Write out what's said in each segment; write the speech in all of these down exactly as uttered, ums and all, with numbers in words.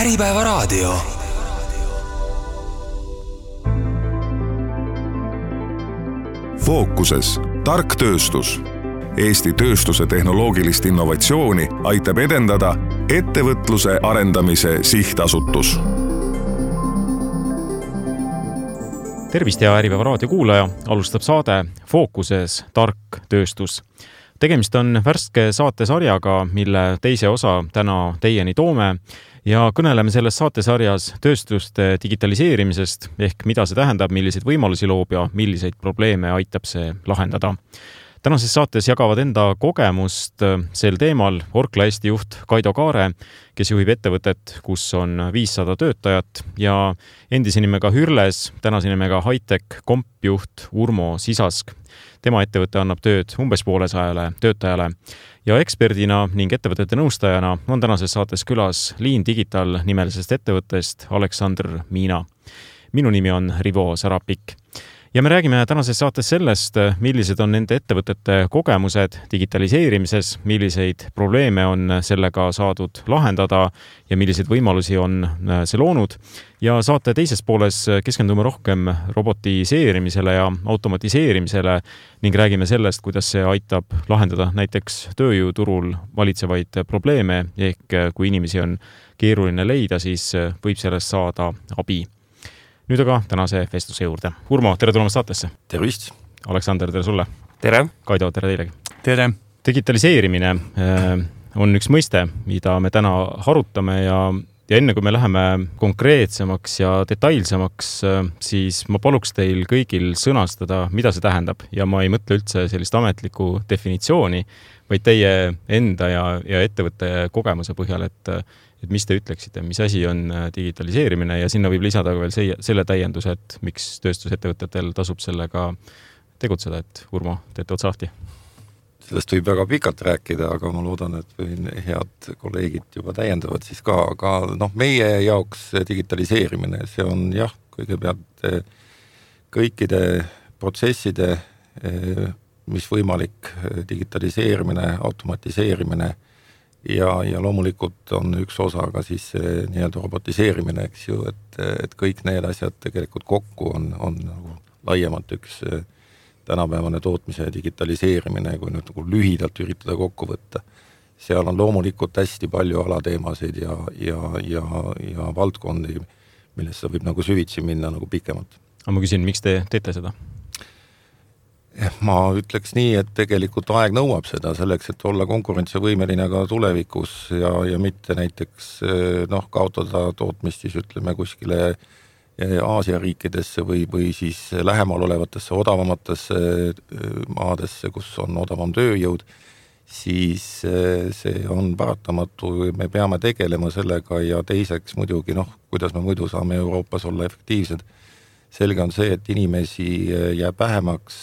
Äripäevaraadio. Fookuses tark tööstus. Eesti tööstuse tehnoloogilist innovatsiooni aitab edendada ettevõtluse arendamise sihtasutus. Tervist ja Äripäevaraadio kuulaja, alustab saade Fookuses tark tööstus. Tegemist on värske saatesarjaga, mille teise osa täna teieni toome ja kõneleme selles saatesarjas tööstuste digitaliseerimisest ehk mida see tähendab, milliseid võimalusi loob ja milliseid probleeme aitab see lahendada. Tänases saates jagavad enda kogemust sel teemal Orkla Eesti juht Kaido Kaare, kes juhib ettevõtet, kus on viissada töötajat ja endise nimega Hürles, tänase nimega Hightech kompjuht Urmo Sisask. Tema ettevõte annab tööd umbes poolesajale töötajale ja eksperdina ning ettevõtete nõustajana on tänases saates külas Lean Digital nimelisest ettevõttest Aleksandr Miina. Minu nimi on Rivo Sarapik. Ja me räägime tänases saates sellest, millised on nende ettevõtete kogemused digitaliseerimises, milliseid probleeme on sellega saadud lahendada ja milliseid võimalusi on see loonud. Ja saate teises pooles keskendume rohkem robotiseerimisele ja automatiseerimisele ning räägime sellest, kuidas see aitab lahendada näiteks tööjõuturul valitsevaid probleeme ehk kui inimesi on keeruline leida, siis võib sellest saada abi. Nüüd aga tänase vestluse juurde. Urmo, tere tulemast saatesse. Tervist. Aleksander, tere sulle. Tere. Kaido, tere teilegi. Tere. Digitaliseerimine on üks mõiste, mida me täna harutame ja, ja enne kui me läheme konkreetsemaks ja detailsemaks, siis ma paluks teil kõigil sõnastada, mida see tähendab. Ja ma ei mõtle üldse sellist ametlikku definitsiooni, vaid teie enda ja, ja ettevõtte kogemuse põhjal, et et mis te ütleksite, mis asi on digitaliseerimine ja sinna võib lisada veel see, selle täienduse, et miks tööstusettevõtetel tasub sellega tegutseda, et Urmo, teete otsa lahti. Sellest võib väga pikalt rääkida, aga ma loodan, et head kolleegid juba täiendavad siis ka, aga noh, meie jaoks digitaliseerimine, see on jah, kõigepealt kõikide protsesside, mis võimalik digitaliseerimine, automatiseerimine Ja, ja loomulikult on üks osa ka siis nii-öelda robotiseerimine, eks ju, et, et kõik need asjad tegelikult kokku on, on nagu laiemalt üks tänapäevane tootmise digitaliseerimine, kui nüüd nagu lühidalt üritada kokku võtta. Seal on loomulikult hästi palju alateemasid ja, ja, ja, ja valdkondi, millesse võib nagu süvitsi minna nagu pikemalt. Aga ma küsin, miks te teete seda? Ma ütleks nii, et tegelikult aeg nõuab seda selleks, et olla konkurentsivõimeline ka tulevikus ja, ja mitte näiteks noh, kaotada tootmist siis ütleme kuskile Aasia riikidesse või, või siis lähemal olevatesse odavamatesse maadesse, kus on odavam tööjõud, siis see on paratamatu, me peame tegelema sellega ja teiseks muidugi, noh, kuidas me muidu saame Euroopas olla efektiivsed. Selge on see, et inimesi jääb vähemaks,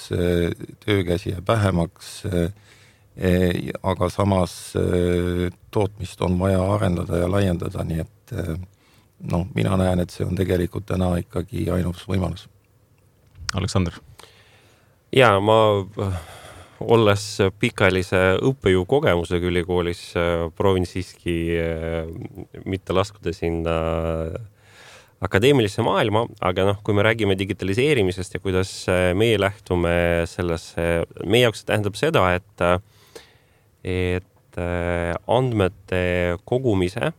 töökäsi jääb vähemaks, aga samas tootmist on vaja arendada ja laiendada, nii et no, mina näen, et see on tegelikult täna ikkagi ainus võimalus. Aleksander. Ja, ma olles pikaajalise õppejõu kogemusega ülikoolis proovin siiski mitte laskuda sinna akadeemilisse maailma, aga noh, kui me räägime digitaliseerimisest ja kuidas meie lähtume sellesse, meie jaoks tähendab seda, et, et andmete kogumise,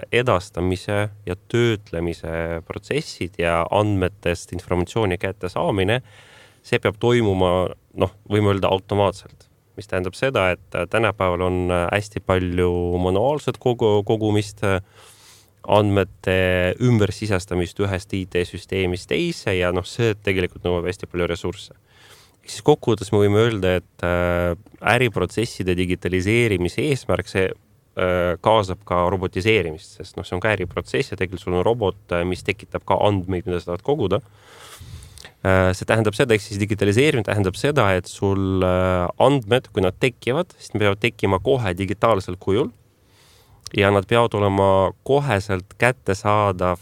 edastamise ja töötlemise protsessid ja andmetest informatsiooni kätte saamine, see peab toimuma, noh, võime öelda automaatselt. Mis tähendab seda, et tänapäeval on hästi palju manuaalset kogu, kogumist, andmete ümber sisestamist ühest I T-süsteemist teise ja noh, see tegelikult nõuab hästi palju ressursse. Siis kokkuvõttes me võime öelda, et äriprotsesside digitaliseerimise eesmärk see kaasab ka robotiseerimist, sest noh, see on ka äriprotsess ja tegelikult sul on robot, mis tekitab ka andmeid, mida sa tahad koguda. See tähendab seda, ehk siis digitaliseerimine tähendab seda, et sul andmed, kui nad tekivad, siis nad peavad tekkima kohe digitaalsel kujul ja nad peavad olema koheselt kättesaadav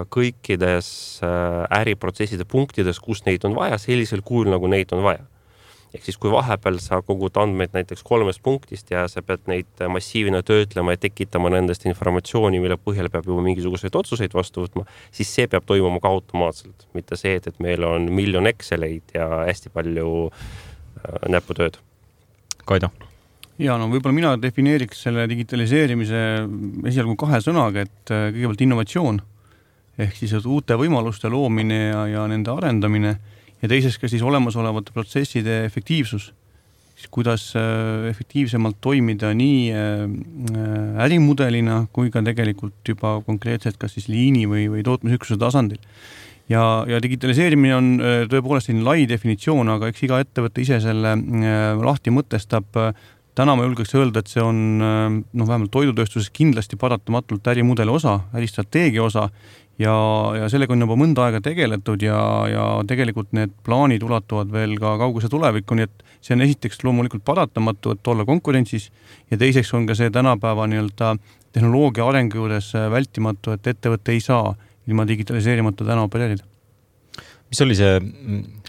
kõikides äriprotsesside punktides, kus neid on vaja, sellisel kujul, nagu neid on vaja. Ehk siis kui vahepeal sa kogud andmeid näiteks kolmest punktist ja sa pead neid massiivina töötlema ja tekitama nendest informatsiooni, mille põhjal peab juba mingisuguseid otsuseid vastu võtma, siis see peab toimuma ka automaatselt. Mitte see, et meil on miljon Exceleid ja hästi palju näputööd. Kaido? Ja no võib-olla mina defineeriks selle digitaliseerimise esialgu kahe sõnaga, et kõigepealt innovatsioon ehk siis uute võimaluste loomine ja, ja nende arendamine ja teiseks ka siis olemasolevate protsesside efektiivsus. Siis kuidas efektiivsemalt toimida nii ärimudelina kui ka tegelikult juba konkreetselt kas siis liini või, või tootmisüksuse tasandil. Ja, ja digitaliseerimine on tõepoolest selline lai definitsioon, aga eks iga ettevõte ise selle lahti mõtestab. Täna ma julgeks öelda, et see on no, vähemalt toidutööstuses kindlasti paratamatult ärimudeli osa, äristrateegia osa ja, ja sellega on juba mõnda aega tegeletud ja, ja tegelikult need plaanid ulatuvad veel ka kauguse tulevikku, nii et see on esiteks loomulikult paratamatu, et olla konkurentsis ja teiseks on ka see tänapäeva nii-öelda tehnoloogia arengu juures vältimatu, et ettevõte ei saa ilma digitaliseerimata täna opereerida. Mis oli see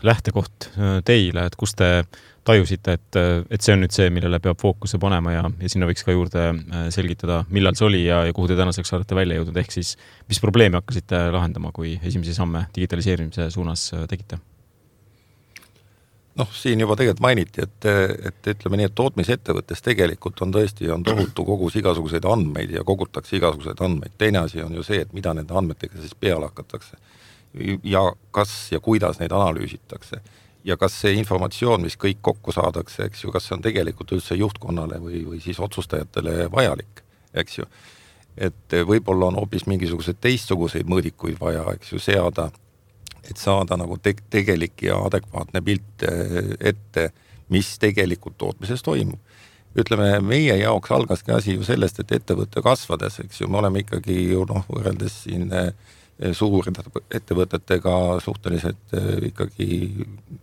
lähtekoht teile, et kus te tajusite, et, et see on nüüd see, millele peab fookuse panema ja, ja sinna võiks ka juurde selgitada, millal see oli ja, ja kuhu te tänaseks olete välja jõudnud, ehk siis mis probleemi hakkasite lahendama, kui esimesi samme digitaliseerimise suunas tegite? Noh, siin juba tegelikult mainiti, et, et ütleme nii, et tootmisettevõttes tegelikult on tõesti on tohutu kogus igasuguseid andmeid ja kogutakse igasuguseid andmeid. Teine asi on ju see, et mida nende andmetega siis peale hakatakse ja kas ja kuidas neid analüüsitakse. Ja kas see informatsioon, mis kõik kokku saadakse, eks ju, kas see on tegelikult üldse juhtkonnale või, või siis otsustajatele vajalik, eks ju. Et võib-olla on hoopis mingisuguseid teistsuguseid mõõdikuid vaja, eks ju, seada, et saada nagu te- tegelik ja adekvaatne pilt ette, mis tegelikult tootmises toimub. Ütleme, meie jaoks algaski asi ju sellest, et ettevõtte kasvades, eks ju, me oleme ikkagi ju noh, võrreldes siin suur ettevõtetega suhteliselt ikkagi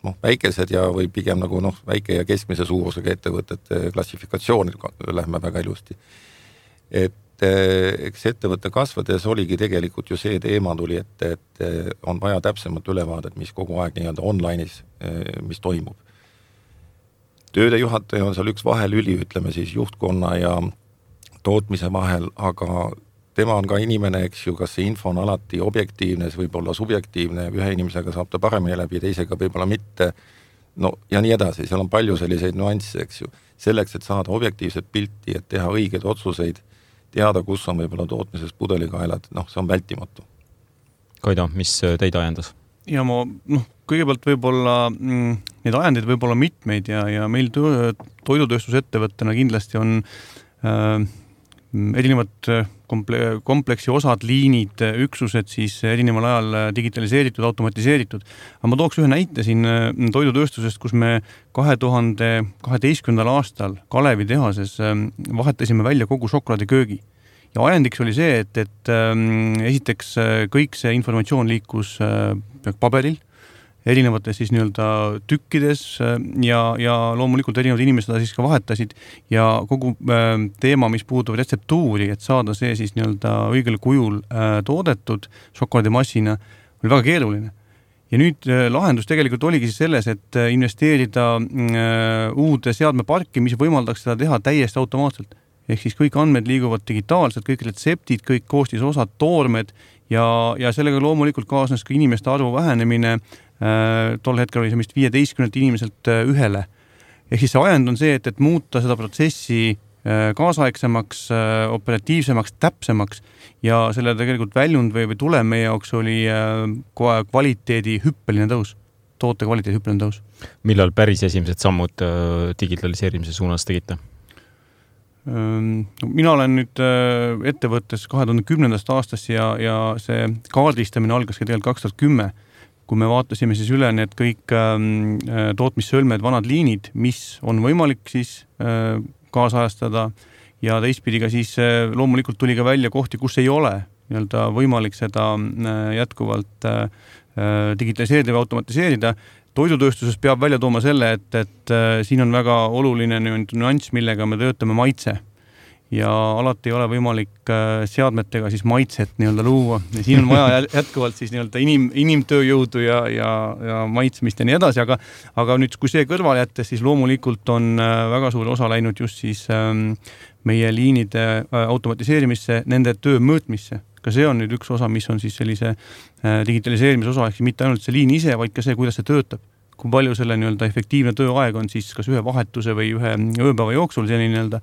noh, väikesed ja või pigem nagu noh, väike ja keskmise suurusega ettevõtete klassifikatsioonid lähme väga ilusti. Et eks ettevõtte kasvades oligi tegelikult ju see teema tuli, et, et on vaja täpsemat ülevaadet, mis kogu aeg nii-öelda online'is, mis toimub. Tööde juhataja on seal üks vahelüli, ütleme siis juhtkonna ja tootmise vahel, aga tema on ka inimene, eks ju, kas see info on alati objektiivne, see võib olla subjektiivne, ühe inimesega saab ta paremini läbi, teisega võib-olla mitte, no ja nii edasi, seal on palju selliseid nuansse, eks ju. Selleks, et saada objektiivset pilti, et teha õigeid otsuseid, teada, kus on võib-olla tootmises pudelikaelad, noh, see on vältimatu. Kaido, mis teid ajendas? Ja ma, noh, kõigepealt võib-olla mm, need ajendid võib olla mitmeid ja, ja meil toidutööstusettevõttena kindlasti on äh, erinevad komple- kompleksi osad, liinid, üksused siis erineval ajal digitaliseeritud, automatiseeritud. Aga ma tooks ühe näite siin toidutööstusest, kus me kahe tuhande kaheteistkümnendal aastal Kalevi tehases vahetasime välja kogu šokolaadiköögi. Ja ajendiks oli see, et, et esiteks kõik see informatsioon liikus paberil, erinevates siis nii-öelda tükkides ja, ja loomulikult erinevad inimesed siis ka vahetasid ja kogu teema, mis puudub retseptuuri, et saada see siis nii-öelda õigel kujul toodetud šokolaadimassina, oli väga keeruline. Ja nüüd lahendus tegelikult oligi siis selles, et investeerida uude seadmeparki, mis võimaldaks seda teha täiesti automaatselt. Ehk siis kõik andmed liiguvad digitaalselt, kõik retseptid, kõik koostisosad, toormed ja, ja sellega loomulikult kaasnes ka inimeste arvu vähenemine. Tol hetkel oli see vist viieteistkümnelt inimeselt ühele. Ehk siis see ajend on see, et, et muuta seda protsessi kaasaegsemaks, operatiivsemaks, täpsemaks ja selle tegelikult väljund või, või tulem meie jaoks oli kvaliteedi hüppeline tõus, toote kvaliteedi hüppeline tõus. Millal päris esimesed sammud digitaliseerimise suunas tegite? Mina olen nüüd ettevõttes kahe tuhande kümnendast aastast ja, ja see kaardistamine algas ka tegelikult kaks tuhat kümme, kui me vaatasime siis üle need kõik tootmissõlmed, vanad liinid, mis on võimalik siis kaasajastada ja teistpidi ka siis loomulikult tuli ka välja kohti, kus ei ole nii-öelda võimalik seda jätkuvalt digitaliseerida või automatiseerida. Toidutööstuses peab välja tooma selle, et, et siin on väga oluline nüanss, millega me töötame maitse. ja alati ei ole võimalik seadmetega siis maitset nii-öelda luua. Ja siin on vaja jätkuvalt siis nii-öelda inim, inimtööjõudu ja, ja, ja maitsmist ja nii edasi, aga, aga nüüd, kui see kõrval jättes, siis loomulikult on väga suur osa läinud just siis meie liinide automatiseerimisse, nende töö mõõtmisse. Ka see on nüüd üks osa, mis on siis sellise digitaliseerimise osa, ehk mitte ainult see liin ise, vaid ka see, kuidas see töötab. Kui palju selle nii-öelda efektiivne tööaeg on siis kas ühe vahetuse või ühe ööpäeva jooksul selline nii-öelda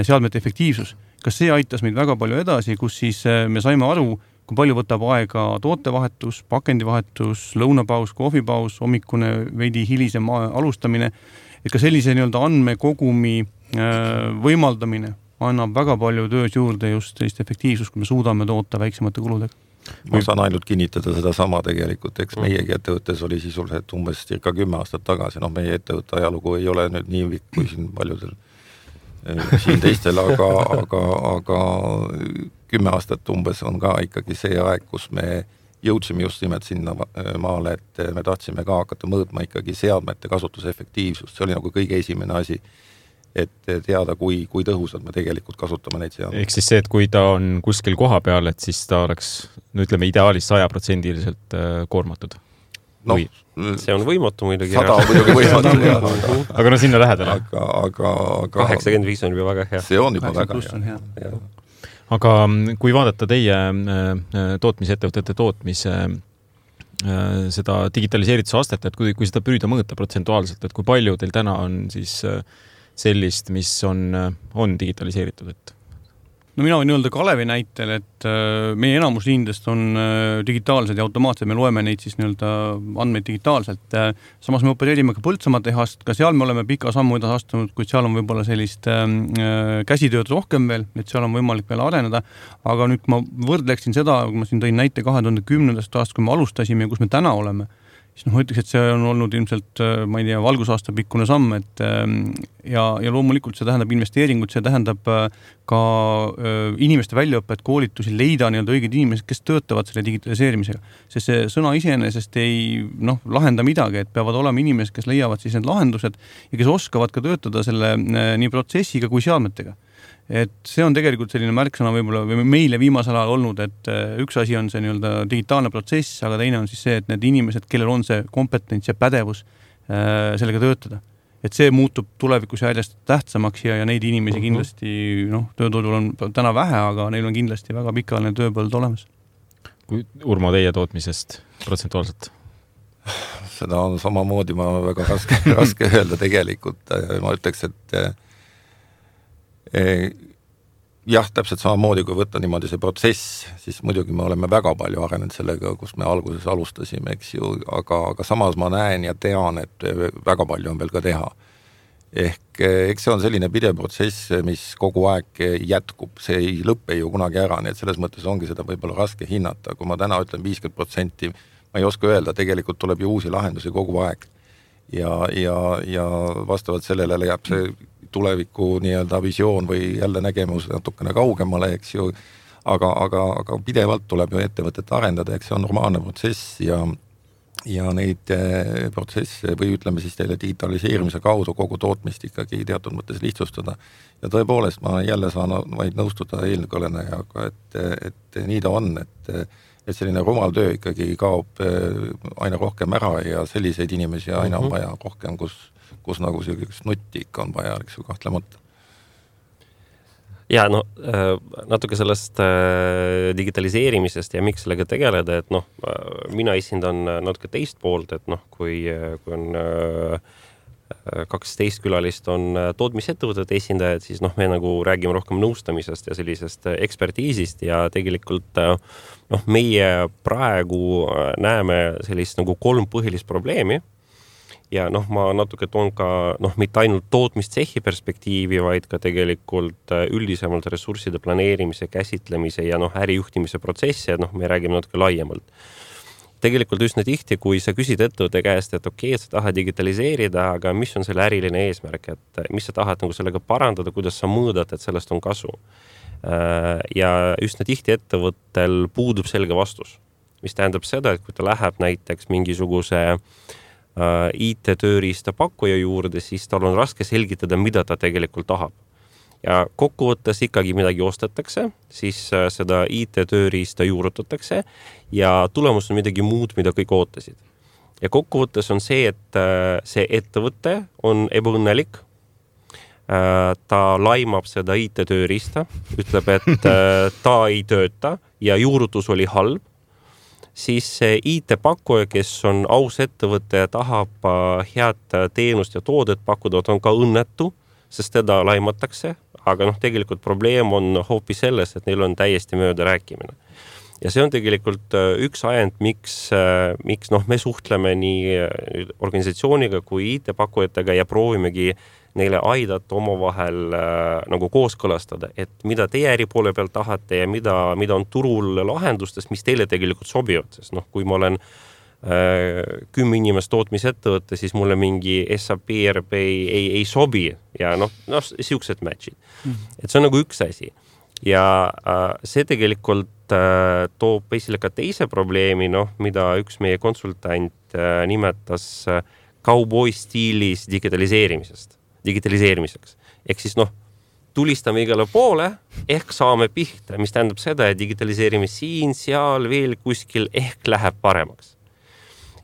seadmete efektiivsus. Kas see aitas meid väga palju edasi, kus siis me saime aru, kui palju võtab aega tootevahetus, pakendivahetus, lõunapaus, kohvipaus, hommikune veidi hilisem alustamine, et ka sellise nii-öelda andmekogumi võimaldamine annab väga palju töös juurde just sellist efektiivsust, kui me suudame toota väiksemate kuludega. Ma saan ainult kinnitada seda sama tegelikult, eks meiegi ettevõttes oli sisuliselt umbes cirka kümme aastat tagasi, noh meie ettevõtte ajalugu ei ole nüüd nii vikk kui siin paljudel siin teistel, aga, aga, aga kümme aastat umbes on ka ikkagi see aeg, kus me jõudsime just nimelt sinna maale, et me tahtsime ka hakata mõõtma ikkagi seadmete kasutuse efektiivsust, see oli nagu kõige esimene asi, et teada, kui, kui tõhusalt me tegelikult kasutame neid seadmeid. Ehk siis see, et kui ta on kuskil koha peal, et siis ta oleks, no ütleme, ideaalis saja protsendiliselt koormatud. No, see on võimatu muidugi. Sada on muidugi võimatu. aga, aga no sinna lähedale. Aga, aga, aga kaheksakümmend viis on juba väga hea. See on juba väga hea. hea. Aga kui vaadata teie tootmisettevõtete tootmise seda digitaliseerituse astet, et kui, kui seda püüda mõõta protsentuaalselt, et kui palju teil täna on siis sellist, mis on, on digitaliseeritud, et? No mina võin öelda Kalevi näitel, et meie enamus liindest on digitaalsed ja automaatsed, me loeme neid siis nii-öelda andmeid digitaalselt. Samas me opereerime ka Põltsamaa tehast, ka seal me oleme pika sammu edasi astunud, kuid seal on võib-olla sellist käsitööd rohkem veel, et seal on võimalik veel areneda, aga nüüd ma võrdleksin seda, kui ma siin tõin näite kahe tuhande kümnendast aastast, kui me alustasime ja kus me täna oleme, siis noh, ma ütleks, et see on olnud ilmselt, ma ei tea, valgusaasta pikkune samm, et ja, ja loomulikult see tähendab investeeringut, see tähendab ka inimeste väljaõpet, koolitusi, leida nii-öelda õiged inimesed, kes töötavad selle digitaliseerimisega. Sest see sõna iseenesest ei noh, lahenda midagi, et peavad olema inimesed, kes leiavad siis need lahendused ja kes oskavad ka töötada selle nii protsessiga kui seadmetega. Et see on tegelikult selline märksõna võib-olla meile viimasel ajal olnud, et üks asi on see nii-öelda digitaalne protsess, aga teine on siis see, et need inimesed, kellel on see kompetents ja pädevus sellega töötada. Et see muutub tulevikus järjest tähtsamaks ja, ja neid inimesi kindlasti, noh, tööturul on täna vähe, aga neil on kindlasti väga pikaajaline tööpõld olemas. Kui Urmo teie tootmisest protsentuaalselt? Seda on samamoodi, ma väga raske, raske öelda tegelikult. Ma ütleks, et jah, täpselt samamoodi, kui võtta niimoodi see protsess, siis muidugi me oleme väga palju arenenud sellega, kus me alguses alustasime, eks ju, aga, aga samas ma näen ja tean, et väga palju on veel ka teha. Ehk eks see on selline pidev protsess, mis kogu aeg jätkub, see ei lõppe ju kunagi ära, nii et selles mõttes ongi seda võib-olla raske hinnata. Kui ma täna ütlen viiskümmend protsenti, ma ei oska öelda, tegelikult tuleb ju uusi lahendusi kogu aeg. Ja, ja, ja vastavalt sellele jääb see tuleviku nii-öelda visioon või jälle nägemus natukene kaugemale, eks ju, aga, aga, aga pidevalt tuleb ju ettevõtet arendada, eks see on normaalne protsess ja, ja neid protsesse või ütleme siis teile digitaliseerimise kaudu kogu tootmist ikkagi teatud mõttes lihtsustada. Ja tõepoolest ma jälle saan vaid nõustuda eelkõlenejaga, et, et nii ta on, et et selline rumal töö ikkagi kaob aina rohkem ära ja selliseid inimesi aina on vaja rohkem, kus, kus nagu sellisest nutti ikka on vaja, eks ju kahtlemata. Ja no natuke sellest digitaliseerimisest ja miks sellega tegeleda, et noh, mina esindan natuke teist poolt, et noh, kui, kui on kaksteist külalist on tootmisettevõtete esindajad, siis noh, me nagu räägime rohkem nõustamisest ja sellisest ekspertiisist ja tegelikult noh, meie praegu näeme sellist nagu kolm põhilist probleemi ja noh, ma natuke toon ka noh, mitte ainult tootmistsehi perspektiivi, vaid ka tegelikult üldisemalt ressursside planeerimise, käsitlemise ja noh, ärijuhtimise protsessi, et noh, me räägime natuke laiemalt. Tegelikult üsna tihti, kui sa küsid ettevõtte käest, et okei, sa tahad digitaliseerida, aga mis on selle äriline eesmärk, et mis sa tahad nagu sellega parandada, kuidas sa mõõdad, et sellest on kasu. Ja üsna tihti ettevõttel puudub selge vastus, mis tähendab seda, et kui ta läheb näiteks mingisuguse I T-tööriista pakkuja juurde, siis tal on raske selgitada, mida ta tegelikult tahab. ja kokkuvõttes ikkagi midagi ostetakse, siis seda I T-tööriista juurutatakse ja tulemus on midagi muud, mida kõik ootasid. Ja kokkuvõttes on see, et see ettevõte on ebaõnnelik, ta laimab seda I T-tööriista, ütleb, et ta ei tööta ja juurutus oli halb, siis see I T-pakkuja, kes on aus ettevõte ja tahab head teenust ja toodet pakkuda, on ka õnnetu, sest teda laimatakse, aga noh, tegelikult probleem on hoopis selles, et neil on täiesti mööda rääkimine. Ja see on tegelikult üks ajend, miks, miks noh, me suhtleme nii organisatsiooniga kui I T-pakkujatega ja proovimegi neile aidata omavahel nagu kooskõlastada, et mida teie äri poole peal tahate ja mida, mida on turul lahendustest, mis teile tegelikult sobivad, sest noh, kui ma olen äh, kümme inimest tootmisettevõtte, siis mulle mingi S A P, R P ei, ei, ei sobi ja noh, noh siuksed matchid. Mm-hmm. Et see on nagu üks asi. Ja äh, see tegelikult äh, toob esile ka teise probleemi, noh, mida üks meie konsultant äh, nimetas äh, cowboy stiilis digitaliseerimisest. digitaliseerimiseks. Ehk siis noh, tulistame igale poole, ehk saame pihta, mis tähendab seda, et digitaliseerime siin, seal, veel kuskil, ehk läheb paremaks.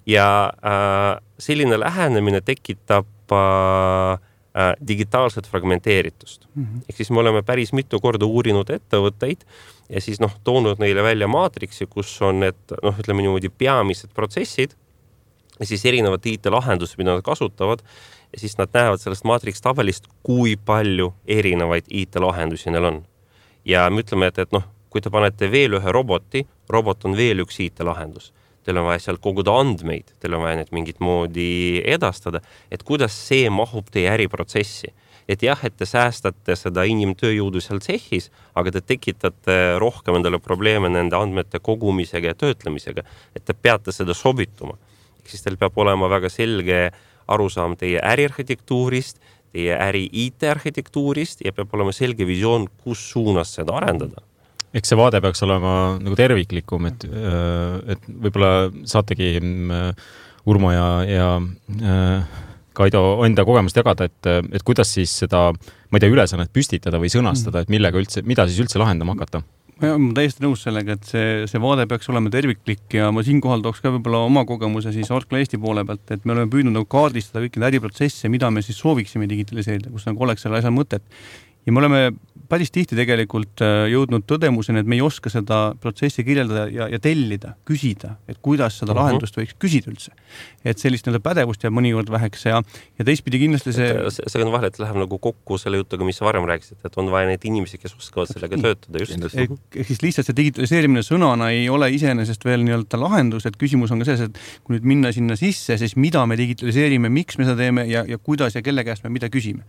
Ja äh, selline lähenemine tekitab äh, äh, digitaalset fragmenteeritust. Mm-hmm. Ehk siis me oleme päris mitu korda uurinud ettevõtteid ja siis noh, toonud neile välja maatriksi, kus on need, noh, ütleme niimoodi peamised protsessid ja siis erinevad I T-lahendused, mida nad kasutavad, ja siis nad näevad sellest maatriks tabelist, kui palju erinevaid I T-lahendusi neil on. Ja me ütleme, et, et noh, kui te panete veel ühe roboti, robot on veel üks I T-lahendus. Teil on vaja sealt koguda andmeid, teil on vaja need mingit moodi edastada, et kuidas see mahub teie äriprotsessi. Et jah, et te säästate seda inimtööjõudu seal tsehhis, aga te tekitate rohkem endale probleeme nende andmete kogumisega ja töötlemisega, et te peate seda sobituma. Siis teil peab olema väga selge arusaam teie äriarhitektuurist, teie äri I T-arhitektuurist ja peab olema selge visioon, kus suunas seda arendada. Eks see vaade peaks olema nagu terviklikum, et, et võib-olla saategi Urmo ja, ja Kaido enda kogemust jagada, et, et kuidas siis seda, ma ei tea, ülesannet püstitada või sõnastada, et millega üldse, mida siis üldse lahendama hakata? Ma olen täiesti nõus sellega, et see, see vaade peaks olema terviklik ja ma siinkohal tooks ka võib-olla oma kogemuse siis Orkla Eesti poole pealt, et me oleme püüdnud nagu kaardistada kõiki äriprotsesse, mida me siis sooviksime digitaliseerida, kus nagu oleks selle asja mõtet. Ja me oleme päris tihti tegelikult jõudnud tõdemuseni, et me ei oska seda protsessi kirjeldada ja, ja tellida, küsida, et kuidas seda uh-huh. lahendust võiks küsida üldse. Et sellist nii-öelda pädevust jääb mõnikord väheks ja, ja teistpidi kindlasti see... See, see on vahel, et läheb nagu kokku selle jutuga, mis sa varem rääkisid, et on vaja neid inimesi, kes oskavad sellega nii. Töötada. Just. Ehk siis lihtsalt see digitaliseerimine sõnana ei ole iseenesest veel nii-öelda lahendus, et küsimus on ka selles, et kui nüüd minna sinna sisse, siis mida me digitaliseerime, miks me seda teeme ja, ja kuidas ja kelle käest me mida küsime.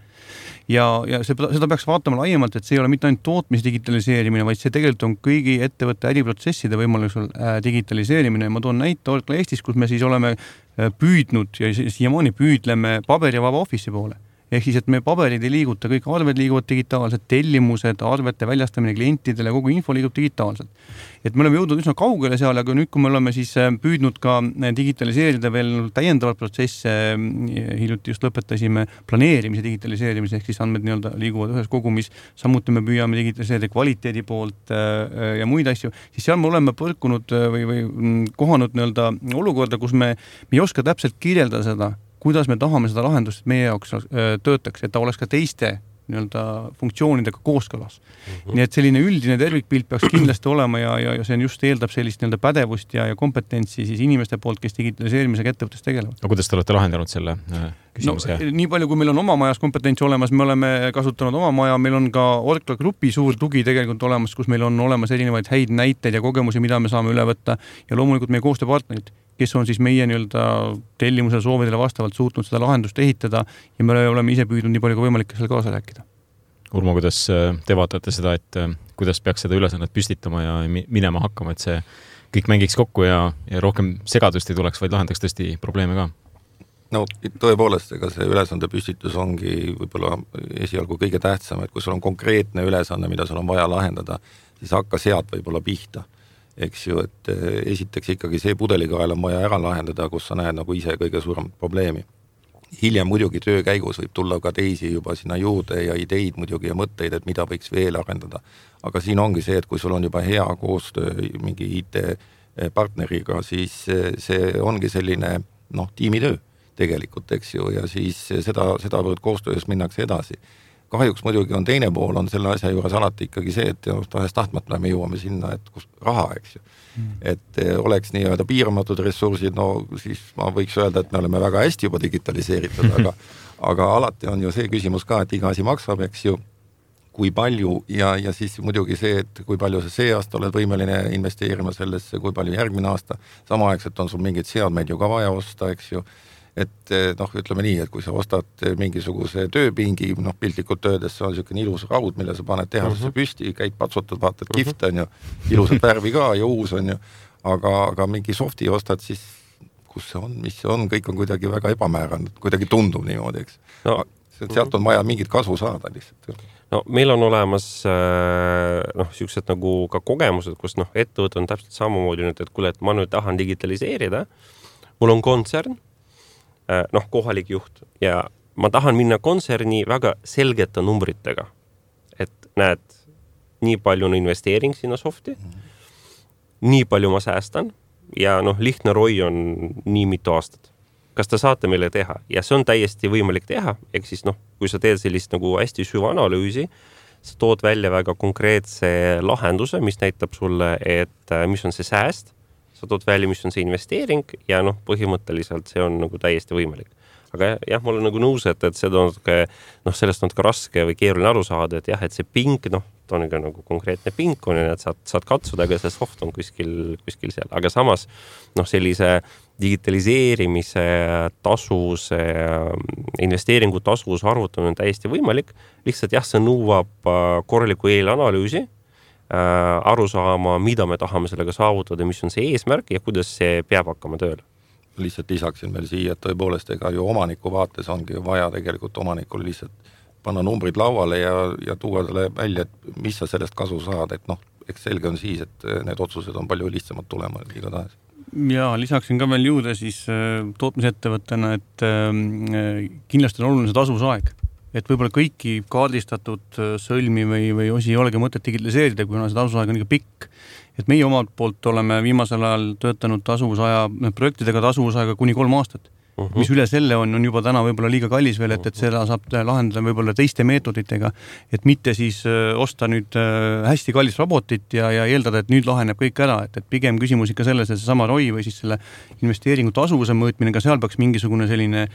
Ja, ja see, seda peaks vaatama laiemalt, et see ei ole mitte ainult tootmis digitaliseerimine, vaid see tegelikult on kõigi ettevõtte äriprotsesside võimalusel digitaliseerimine. Ma toon näite Orkla Eestis, kus me siis oleme püüdnud ja siiamaani püüdleme paberivaba office'i poole. Ehk siis, et me paberid ei liiguta, kõik arved liiguvad digitaalselt, tellimused, arvete väljastamine klientidele, kogu info liigub digitaalselt. Et me oleme jõudnud üsna kaugele seal, aga nüüd, kui me oleme siis püüdnud ka digitaliseerida veel täiendavalt protsesse, hiljuti just lõpetasime planeerimise digitaliseerimise, ehk siis andmed nii-öelda liiguvad ühes kogumis, samuti me püüame digitaliseerida kvaliteedi poolt ja muid asju, siis seal me oleme põrkunud või, või kohanud nii-öelda olukorda, kus me, me ei oska täpselt kirjeldada seda, kuidas me tahame seda lahendust meie jaoks töötaks, et ta oleks ka teiste nii-öelda funktsioonidega kooskõlas. Mm-hmm. Nii et selline üldine tervikpilt peaks kindlasti olema ja, ja, ja see on just eeldab sellist nii-öelda pädevust ja, ja kompetentsi siis inimeste poolt, kes digitaliseerimisega ettevõttes tegelevad. Aga kuidas te olete lahendanud selle küsimuse? No, nii palju, kui meil on oma majas kompetentsi olemas, me oleme kasutanud oma maja, meil on ka Orkla Grupi suur tugi tegelikult olemas, kus meil on olemas erinevaid häid näiteid ja kogemusi, mida me saame üle võtta ja loomulikult meie koostööpartnerid, kes on siis meie nii-öelda tellimusele soovidele vastavalt suutnud seda lahendust ehitada ja me oleme ise püüdnud nii palju kui võimalik selle kaasa rääkida. Urmo, kuidas te vaatate seda, et kuidas peaks seda ülesannet püstitama ja minema hakkama, et see kõik mängiks kokku ja, ja rohkem segadust ei tuleks, vaid lahendaks tõesti probleeme ka? No tõepoolest, ega see ülesande püstitus ongi võib-olla esialgu kõige tähtsam, et kui sul on konkreetne ülesanne, mida sul on vaja lahendada, siis hakka sealt võib-olla pihta. Eks ju, et esiteks ikkagi see pudelikael on vaja ära lahendada, kus sa näed nagu ise kõige suurem probleemi. hiljem muidugi töö käigus võib tulla ka teisi juba sinna juurde ja ideid muidugi ja mõtteid, et mida võiks veel arendada. Aga siin ongi see, et kui sul on juba hea koostöö mingi I T-partneriga, siis see ongi selline noh, tiimitöö tegelikult, eks ju, ja siis seda, seda võrd koostöös minnakse edasi. Kahjuks muidugi on teine pool, on selle asja juures alati ikkagi see, et tahes tahtmata me jõuame sinna, et kus raha, eks ju. Mm. Et oleks nii-öelda piiramatud ressursid, no siis ma võiks öelda, et me oleme väga hästi juba digitaliseeritud, aga, aga alati on ju see küsimus ka, et iga asi maksab, eks ju, kui palju ja, ja siis muidugi see, et kui palju sa see aasta oled võimeline investeerima sellesse, kui palju järgmine aasta, samaaegselt on sul mingid seadmeid ju ka vaja osta, eks ju. Et noh, ütleme nii, et kui sa ostad mingisuguse tööpingi, noh piltlikult töödes, see on selline ilus raud, mille sa paned tehasesse uh-huh. püsti, käid patsutad, vaatad uh-huh. kift on ju, ilusat värvi ka ja uus on ju, aga, aga mingi softi ostad siis, kus see on, mis see on, kõik on kuidagi väga ebamääranud, kuidagi tundub niimoodi, eks. No. Sealt on vaja mingit kasu saada lihtsalt. No meil on olemas noh, siuksed nagu ka kogemused, kus noh, ettevõte on täpselt samamoodi nüüd, et kuule, et ma nüüd tahan digitaliseerida, mul on kontsern, noh, kohalik juht ja ma tahan minna kontserni väga selgete numbritega, et näed, nii palju on investeering sinna softi, nii palju ma säästan ja noh, lihtne roi on nii mitu aastat. Kas te saate meile teha? Ja see on täiesti võimalik teha, ehk siis noh, kui sa teed sellist nagu hästi süvaanalüüsi, sa tood välja väga konkreetse lahenduse, mis näitab sulle, et mis on see sääst, sa tood välja, mis on see investeering ja noh, põhimõtteliselt see on nagu täiesti võimalik. Aga jah, ma olen nagu nõus, et, et seda on ka, noh, sellest on ka raske või keeruline aru saada, et jah, et see pink, noh, ta on ka nagu konkreetne pink on, et saad, saad katsuda, aga see soft on kuskil, kuskil seal. Aga samas, noh, sellise digitaliseerimise tasuvuse, investeeringu tasuvuse arvutamine on täiesti võimalik. Lihtsalt jah, see nõuab korraliku eelanalüüsi, aru saama, mida me tahame sellega saavutada, mis on see eesmärk ja kuidas see peab hakkama tööle. Lihtsalt lisaksin veel siia, et tõepoolest ega ju omaniku vaates ongi vaja tegelikult omanikul lihtsalt panna numbrid lauale ja, ja tuua talle välja, et mis sa sellest kasu saad, et noh, eks selge on siis, et need otsused on palju lihtsamad tulema iga tahes. Ja lisaksin ka veel juurde siis tootmisettevõttena, et kindlasti on oluline see tasuvusaeg. Et võib-olla kõiki kaardistatud sõlmi või, või osi ei olegi mõtet digitaliseerida, kuna see tasuvusaeg on ikka pikk. Et meie omalt poolt oleme viimasel ajal töötanud tasuvusaja, projektidega tasuvusaega kuni kolm aastat. Uh-huh. Mis üle selle on, on juba täna võib-olla liiga kallis veel, et, et seda saab lahendada võib-olla teiste meetoditega, et mitte siis osta nüüd hästi kallis robotit ja, ja eeldada, et nüüd laheneb kõik ära, et, et pigem küsimus ikka selles, et see sama roi või siis selle investeeringu tasuvuse mõõtmine, ka seal peaks mingisugune selline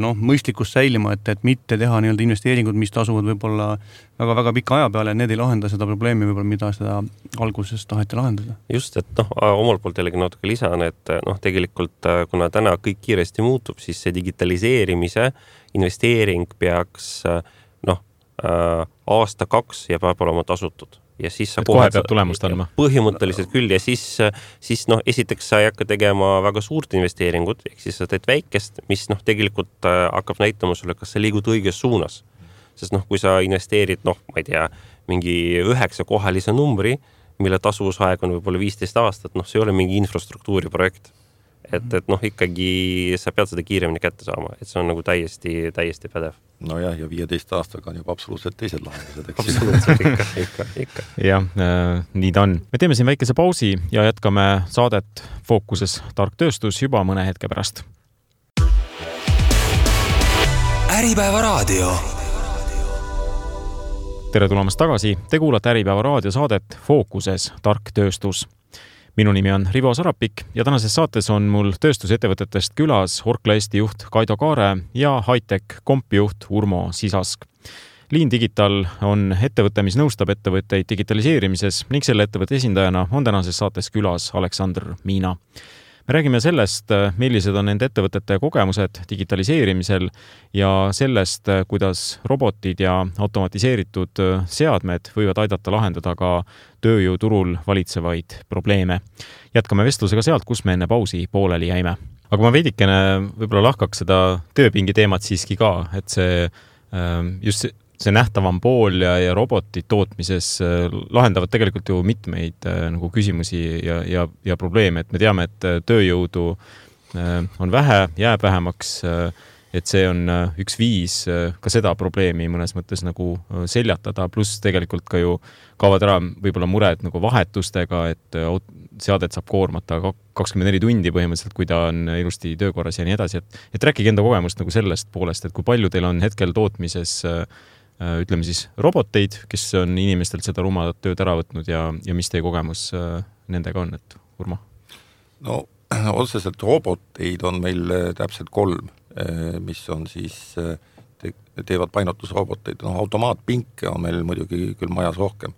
noh, mõistlikkus säilima, et, et mitte teha nii-öelda investeeringud, mis tasuvad võib-olla väga-väga pika aja peale, need ei lahenda seda probleemi võib-olla, mida seda alguses taheti lahendada. Just, et noh, omalt poolt jällegi natuke lisan, et noh, tegelikult kuna täna kõik kiiresti muutub, siis see digitaliseerimise investeering peaks noh, aasta kaks ja peab olema tasutud. Ja siis sa kohe peab tulemust andma. Põhimõtteliselt küll ja siis, siis noh, esiteks sa ei hakka tegema väga suurt investeeringut, ehk siis sa teed väikest, mis noh, tegelikult hakkab näitama sulle, kas sa liigud õiges suunas. Sest noh, kui sa investeerid, noh, ma ei tea, mingi üheksa kohalise numbri, mille tasuvusaeg on võib-olla viisteist aastat, noh, see ei ole mingi infrastruktuuri projekt. Et, et noh, ikkagi sa pead seda kiiremini kätte saama, et see on nagu täiesti, täiesti pädev. No jah, ja viieteist aastaga on juba absoluutselt teised lahendused. Absoluutselt, ikka, ikka, ikka. Jah, äh, nii ta on. Me teeme siin väikese pausi ja jätkame saadet Fookuses tark tööstus juba mõne hetke pärast. Äripäeva raadio. Tere tulemast tagasi. Te kuulate Äripäeva raadio saadet Fookuses tark tööstus. Minu nimi on Rivo Sarapik ja tänases saates on mul tööstusettevõtetest külas Orkla Eesti juht Kaido Kaare ja Hightech Kompi juht Urmo Sisask. Lean Digital on ettevõte, mis nõustab ettevõtteid digitaliseerimises ning selle ettevõtte esindajana on tänases saates külas Aleksandr Miina. Me räägime sellest, millised on nende ettevõtete kogemused digitaliseerimisel ja sellest, kuidas robotid ja automatiseeritud seadmed võivad aidata lahendada ka tööjõuturul valitsevaid probleeme. Jätkame vestlusega sealt, kus me enne pausi pooleli jäime. Aga ma veidikene võib-olla lahkaks seda tööpingi teemat siiski ka, et see just see nähtavam pool ja, ja robotid tootmises lahendavad tegelikult ju mitmeid nagu küsimusi ja, ja, ja probleeme, et me teame, et tööjõudu on vähe, jääb vähemaks et see on üks viis ka seda probleemi mõnes mõttes nagu seljatada, pluss tegelikult ka ju kaovad ära võib-olla mured nagu vahetustega, et seadet saab koormata kakskümmend neli tundi põhimõtteliselt, kui ta on ilusti töökorras ja nii edasi, et, et rääkige enda kogemust nagu sellest poolest, et kui palju teil on hetkel tootmises ütleme siis roboteid, kes on inimestelt seda rumadat tööd ära võtnud ja, ja mis teie kogemus nendega on, et Urmo? No otseselt roboteid on meil täpselt kolm, mis on siis, te, teevad painutusroboteid. No, automaatpinke on meil muidugi küll majas rohkem,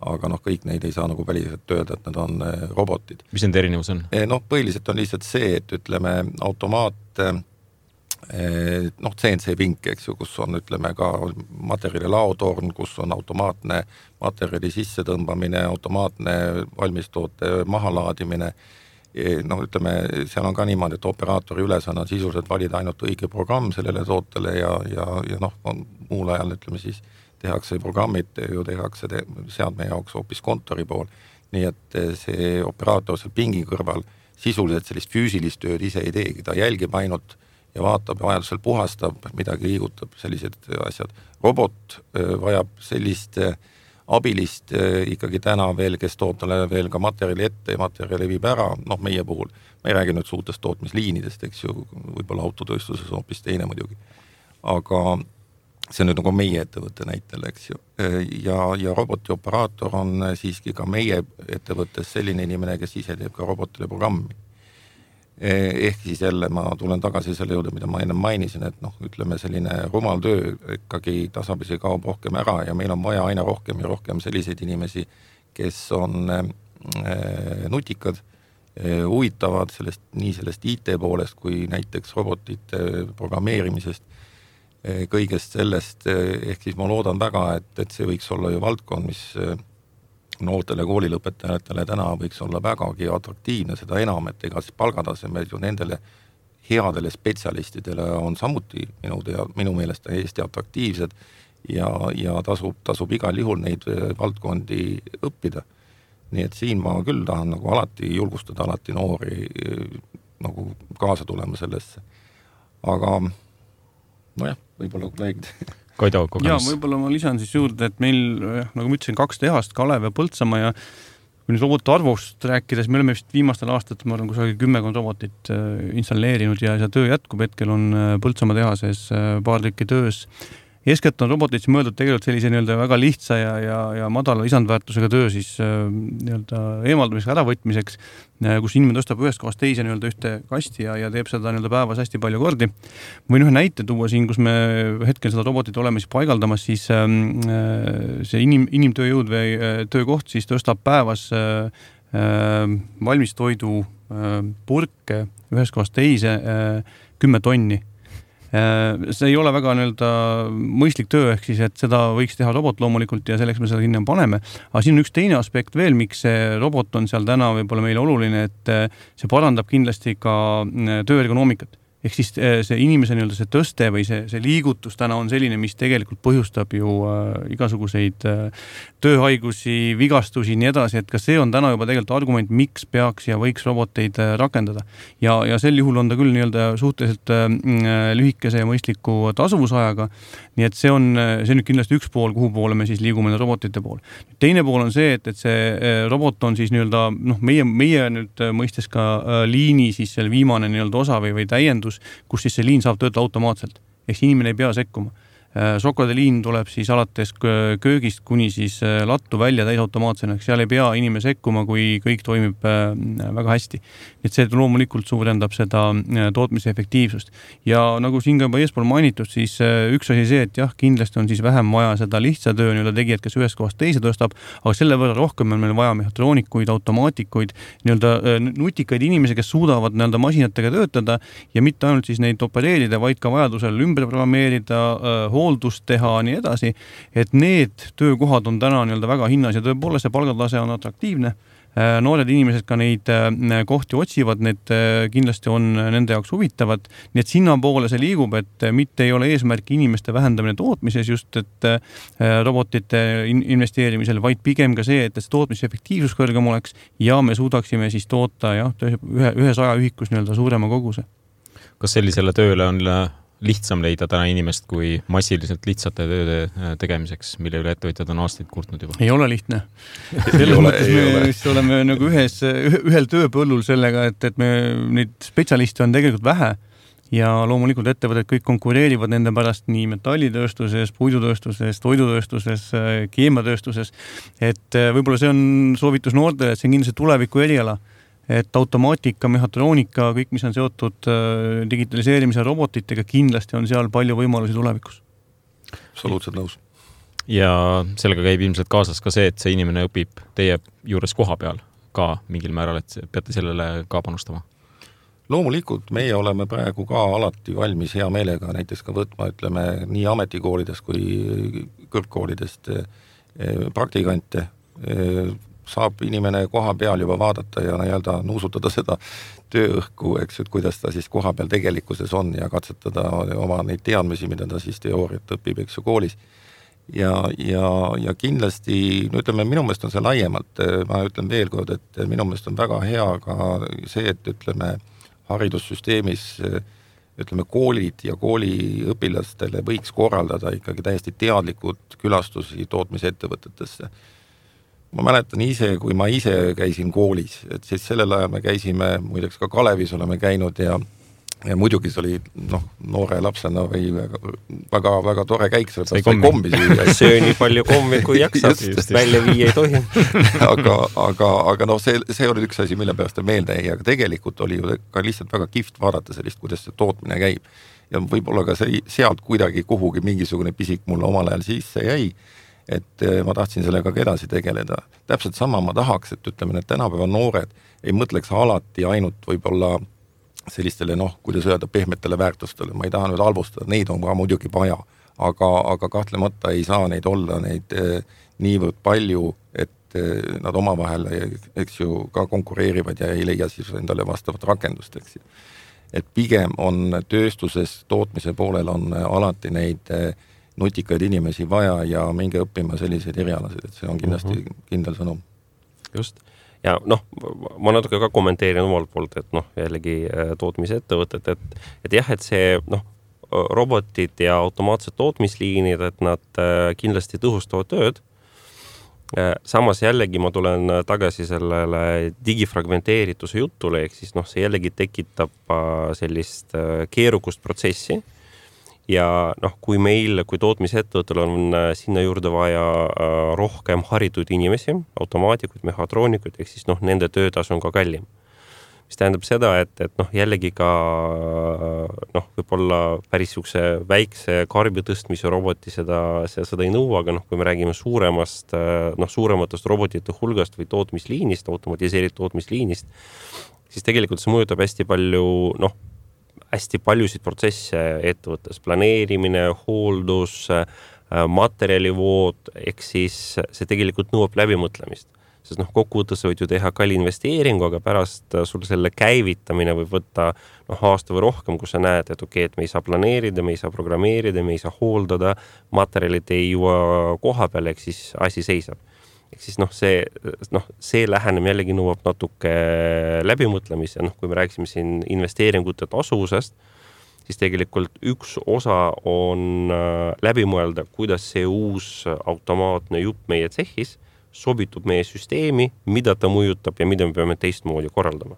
aga noh, kõik neid ei saa nagu väliselt tööda, et need on robotid. Mis nende erinevus on? Noh, põhiliselt on lihtsalt see, et ütleme automaat, noh, C N C pink, eks ju, kus on ütleme ka materjali laotorn, kus on automaatne materjali sisse tõmbamine, automaatne valmistoote mahalaadimine. No ütleme, seal on ka niimoodi, et operaatori ülesanne on sisuliselt valida ainult õige programm sellele tootele ja, ja, ja noh, on muul ajal ütleme siis tehakse programmid, ju tehakse te, seadme jaoks hoopis kontori pool. Nii et see operaator seal pingi kõrval sisuliselt sellist füüsilist tööd ise ei teegi, ta jälgib ainult ja vaatab, vajadusel puhastab, midagi liigutab, sellised asjad. Robot vajab sellist abilist ikkagi täna veel, kes toob talle veel ka materjali ette ja materjali viib ära, noh meie puhul, ma ei räägi nüüd suurtest tootmisliinidest, eks ju, võib-olla autotööstuses hoopis teine muidugi, aga see on nüüd nagu meie ettevõtte näitel, eks ju, ja, ja roboti operaator on siiski ka meie ettevõttes selline inimene, kes ise teeb ka robotile programmi. Ehk siis jälle ma tulen tagasi selle juurde, mida ma enne mainisin, et noh, ütleme selline rumal töö ikkagi tasapisi kaob rohkem ära ja meil on vaja aina rohkem ja rohkem selliseid inimesi, kes on nutikad, huvitavad sellest, nii sellest I T poolest kui näiteks robotite programmeerimisest, kõigest sellest, ehk siis ma loodan väga, et, et see võiks olla ju valdkond, mis noortele koolilõpetajatele täna võiks olla vägagi atraktiivne, seda enam, et ega siis palgatasemed ju nendele headele spetsialistidele on samuti minu, tea, minu meelest Eesti atraktiivsed ja, ja tasub, tasub igal juhul neid valdkondi õppida. Nii et siin ma küll tahan nagu alati julgustada alati noori nagu kaasa tulema sellesse. Aga nojah, võib-olla kolleegid Kaido kogemus. Ja võib-olla ma lisan siis juurde, et meil, nagu ma ütlesin, kaks tehast, Kalev ja Põltsamaa ja kui nüüd roboti arvust rääkides, me oleme vist viimastel aastatel, ma arvan, kusagil kümmekond robotit installeerinud ja see töö jätkub, hetkel on Põltsamaa tehases paar tükki töös. Eeskätt on robotid mõeldud tegelikult sellise nii-öelda väga lihtsa ja, ja, ja madala lisandväärtusega töö siis nii-öelda eemaldamisega äravõtmiseks, kus inimene tõstab ühest kohast teise nii-öelda ühte kasti ja, ja teeb seda nii-öelda päevas hästi palju kordi. Võin ühe näite tuua siin, kus me hetkel seda robotit oleme siis paigaldamas, siis see inim, inimtööjõud või töökoht siis tõstab päevas valmistoidu purke ühest kohast teise kümme tonni. See ei ole väga nii-öelda mõistlik töö, ehk siis, et seda võiks teha robot loomulikult ja selleks me seda sinna paneme. Aga siin on üks teine aspekt veel, miks see robot on seal täna võib-olla meile oluline, et see parandab kindlasti ka tööergonoomikat. Ehk siis see inimese nii-öelda see tõste või see, see liigutus täna on selline, mis tegelikult põhjustab ju äh, igasuguseid äh, tööhaigusi, vigastusi nii edasi, et ka see on täna juba tegelikult argument, miks peaks ja võiks roboteid äh, rakendada. Ja, ja sel juhul on ta küll nii-öelda suhteliselt äh, lühikese ja mõistliku tasuvusajaga, nii et see on, see on nüüd kindlasti üks pool, kuhu poole me siis liigume robotite pool. Teine pool on see, et, et see äh, robot on siis nii-öelda, noh, meie, meie nüüd mõistes ka äh, liini siis selle viimane nii-öelda osa või, või täiendus, kus siis see liin saab töötada automaatselt. Ehk inimene ei pea sekkuma. Šokolaadiliin tuleb siis alates köögist kuni siis lattu välja täisautomaatsena, eks seal ei pea inimene sekkuma, kui kõik toimib väga hästi. Et see loomulikult suurendab seda tootmise efektiivsust. Ja nagu siin ka juba eespool mainitud, siis üks asi see, et jah, kindlasti on siis vähem vaja seda lihtsa töö nii-öelda tegijad, kes ühest kohast teise tõstab, aga selle võrra rohkem on meil vaja mehhatroonikuid, automaatikuid, nii-öelda nutikaid inimesi, kes suudavad nii-öelda masinatega töötada ja mitte ainult siis neid opereerida, vaid ka vajadusel ümber programmeerida, hooldust teha, nii edasi, et need töökohad on täna nii-öelda väga hinnas ja tõepoolest see palgatase on atraktiivne. Noored inimesed ka neid kohti otsivad, need kindlasti on nende jaoks huvitavad, nii et sinna poole see liigub, et mitte ei ole eesmärk inimeste vähendamine tootmises just, et robotite investeerimisel, vaid pigem ka see, et see tootmise efektiivsus kõrgem oleks ja me suudaksime siis toota jah, ühe, ühes ajaühikus nii-öelda suurema koguse. Kas sellisele tööle on lihtsam leida täna inimest kui massiliselt lihtsate tööde tegemiseks, mille üle ettevõtjad on aastaid kurtnud juba? Ei ole lihtne. Selles ole, mõttes me vist oleme nagu ühes, ühel tööpõllul sellega, et, et me neid spetsialiste on tegelikult vähe ja loomulikult ettevõtted kõik konkureerivad nende pärast nii metallitööstuses, puidutööstuses, toidutööstuses, keemiatööstuses, et võib-olla see on soovitus noortele, et see on kindlasti tuleviku eriala. Et automaatika, mehhatroonika, kõik, mis on seotud digitaliseerimise robotitega, kindlasti on seal palju võimalusi tulevikus. Absoluutselt nõus. Ja sellega käib ilmselt kaasas ka see, et see inimene õpib teie juures koha peal ka mingil määral, et peate sellele ka panustama. Loomulikult meie oleme praegu ka alati valmis hea meelega näiteks ka võtma, ütleme, nii ametikoolidest kui kõrgkoolidest praktikante. Saab inimene koha peal juba vaadata ja nii-öelda nuusutada seda tööõhku, eks, et kuidas ta siis koha peal tegelikkuses on ja katsetada oma neid teadmisi, mida ta siis teooriat õpib, eks ju, koolis. Ja, ja, ja kindlasti, no ütleme, minu meelest on see laiemalt, ma ütlen veel kord, et minu meelest on väga hea ka see, et ütleme, haridussüsteemis, ütleme, koolid ja kooliõpilastele võiks korraldada ikkagi täiesti teadlikud külastusi tootmisettevõtetesse. Ma mäletan ise, kui ma ise käisin koolis, et siis sellel ajal me käisime, muideks ka Kalevis oleme käinud ja, ja muidugi see oli noh, noore lapsena või väga, väga tore käik, see sai kombi süüa. Söö nii palju kommi, kui jaksab, just välja viia ei tohi. aga, aga, aga noh, see, see oli üks asi, mille pärast meelde jäi, aga tegelikult oli ju ka lihtsalt väga kihvt vaadata sellist, kuidas see tootmine käib. Ja võib-olla ka see, sealt kuidagi kuhugi mingisugune pisik mulle omal ajal sisse jäi, et ma tahtsin sellega ka edasi tegeleda. Täpselt sama ma tahaks, et ütleme, et tänapäeva noored ei mõtleks alati ainult võib-olla sellistele, noh, kuidas öelda, pehmetele väärtustele. Ma ei taha nüüd halvustada, neid on ka muidugi vaja, aga, aga kahtlemata ei saa neid olla neid niivõrd palju, et nad omavahel, eks ju, ka konkureerivad ja ei leia siis endale vastavat rakendust, eks ju. Et pigem on tööstuses, tootmise poolel on alati neid nutikaid inimesi vaja ja minge õppima selliseid erialasid, et see on kindlasti uh-huh. kindel sõnum. Just. Ja noh, ma natuke ka kommenteerin omalt poolt, et noh, jällegi tootmise ettevõtted, et, et jah, et see noh, robotid ja automaatsed tootmisliinid, et nad kindlasti tõhustavad tööd. Samas jällegi ma tulen tagasi sellele digifragmenteerituse jutule, ehk siis noh, see jällegi tekitab sellist keerukust protsessi. Ja noh, kui meil, kui tootmisettevõttel on sinna juurde vaja rohkem haritud inimesi, automaatikuid, mehhatroonikuid, ehk siis noh, nende töötasu on ka kallim. Mis tähendab seda, et, et noh, jällegi ka noh, võib-olla päris sukse väikse karbi tõstmise roboti seda, seda ei nõua, aga noh, kui me räägime suuremast, noh, suurematest robotite hulgast või tootmisliinist, automatiseeritud tootmisliinist, siis tegelikult see mõjutab hästi palju, noh, hästi paljusid protsesse ettevõttes, planeerimine, hooldus, materjalivood, ehk siis see tegelikult nõuab läbimõtlemist. Sest noh, kokkuvõttes võid ju teha kalli investeeringu, aga pärast sul selle käivitamine võib võtta noh, aasta või rohkem, kus sa näed, et okei, et me ei saa planeerida, me ei saa programmeerida, me ei saa hooldada, materjalid ei jõua koha peale, ehk siis asi seisab. Ehk siis noh, see, noh, see lähenem jällegi nõuab natuke läbimõtlemis ja noh, kui me rääksime siin investeeringute tasuvusest, siis tegelikult üks osa on läbi mõelda, kuidas see uus automaatne jupp meie tsehhis sobitub meie süsteemi, mida ta mõjutab ja mida me peame teistmoodi korraldama.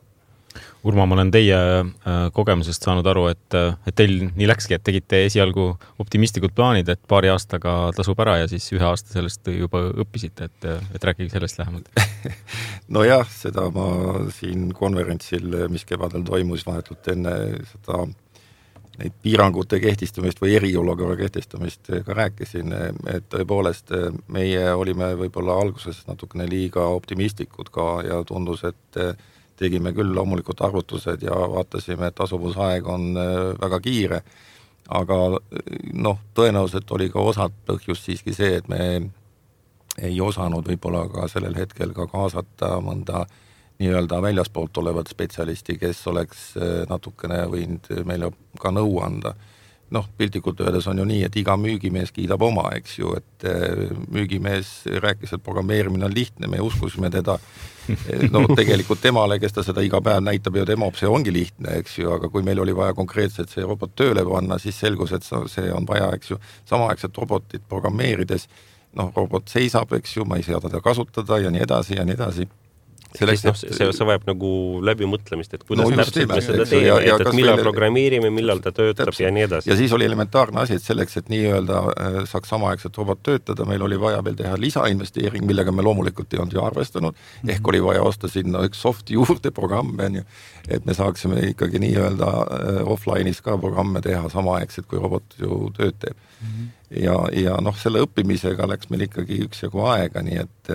Urma, ma olen teie kogemusest saanud aru, et, et teil nii läkski, et tegite esialgu optimistlikud plaanid, et paari aastaga tasub ära ja siis ühe aasta sellest juba õppisite, et, et rääkige sellest lähemalt. No jah, seda ma siin konverentsil, mis kevadel toimus vahetult enne seda neid piirangute kehtistamist või eriolukorra kehtistamist ka rääkisin, et tõepoolest meie olime võib-olla alguses natukene liiga optimistlikud ka ja tundus, et tegime küll loomulikult arvutused ja vaatasime, et tasuvusaeg on väga kiire, aga noh, tõenäoliselt oli ka osad põhjus siiski see, et me ei osanud võib-olla ka sellel hetkel ka kaasata mõnda nii-öelda väljaspoolt olevat spetsialisti, kes oleks natukene võinud meile ka nõu anda. noh, piltlikult öeldes on ju nii, et iga müügimees kiidab oma, eks ju, et müügimees rääkis, et programmeerimine on lihtne, me uskusime teda, no tegelikult temale, kes ta seda iga päev näitab ja demop, see ongi lihtne, eks ju, aga kui meil oli vaja konkreetselt see robot tööle panna, siis selgus, et see on vaja, eks ju, samaaegselt robotit programmeerides, noh, robot seisab, eks ju, ma ei saa teda kasutada ja nii edasi ja nii edasi. Selleks, noh, see, see vajab nagu läbimõtlemist, et kuidas no, täpselt me seda teeme, ja, ja et, et millal veel... programmeerime, millal ta töötab täpselt. Ja nii edasi. Ja siis oli elementaarne asi, et selleks, et nii-öelda saaks samaaegselt robot töötada, meil oli vaja veel teha lisainvesteering, millega me loomulikult ei olnud ju arvestanud, mm-hmm. ehk oli vaja osta sinna üks soft juurde programme, et me saaksime ikkagi nii-öelda offline'is ka programme teha samaaegselt, kui robot ju tööd teeb. Mm-hmm. Ja, ja noh, selle õppimisega läks meil ikkagi üks jagu aega, nii et,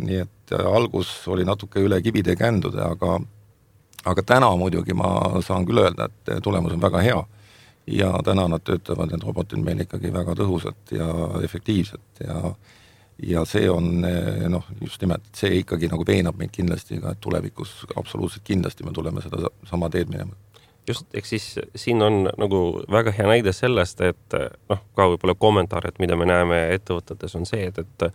nii et algus oli natuke üle kibide kändude, aga, aga täna muidugi ma saan küll öelda, et tulemus on väga hea ja täna nad töötavad, need robotid meil ikkagi väga tõhusalt ja efektiivselt ja, ja see on noh, just nimelt, see ikkagi nagu veenab meid kindlasti ka, et tulevikus absoluutselt kindlasti me tuleme seda sama teed minema. Just, eks siis siin on nagu väga hea näide sellest, et noh, ka võib-olla kommentaar, et mida me näeme ettevõtetes on see, et, et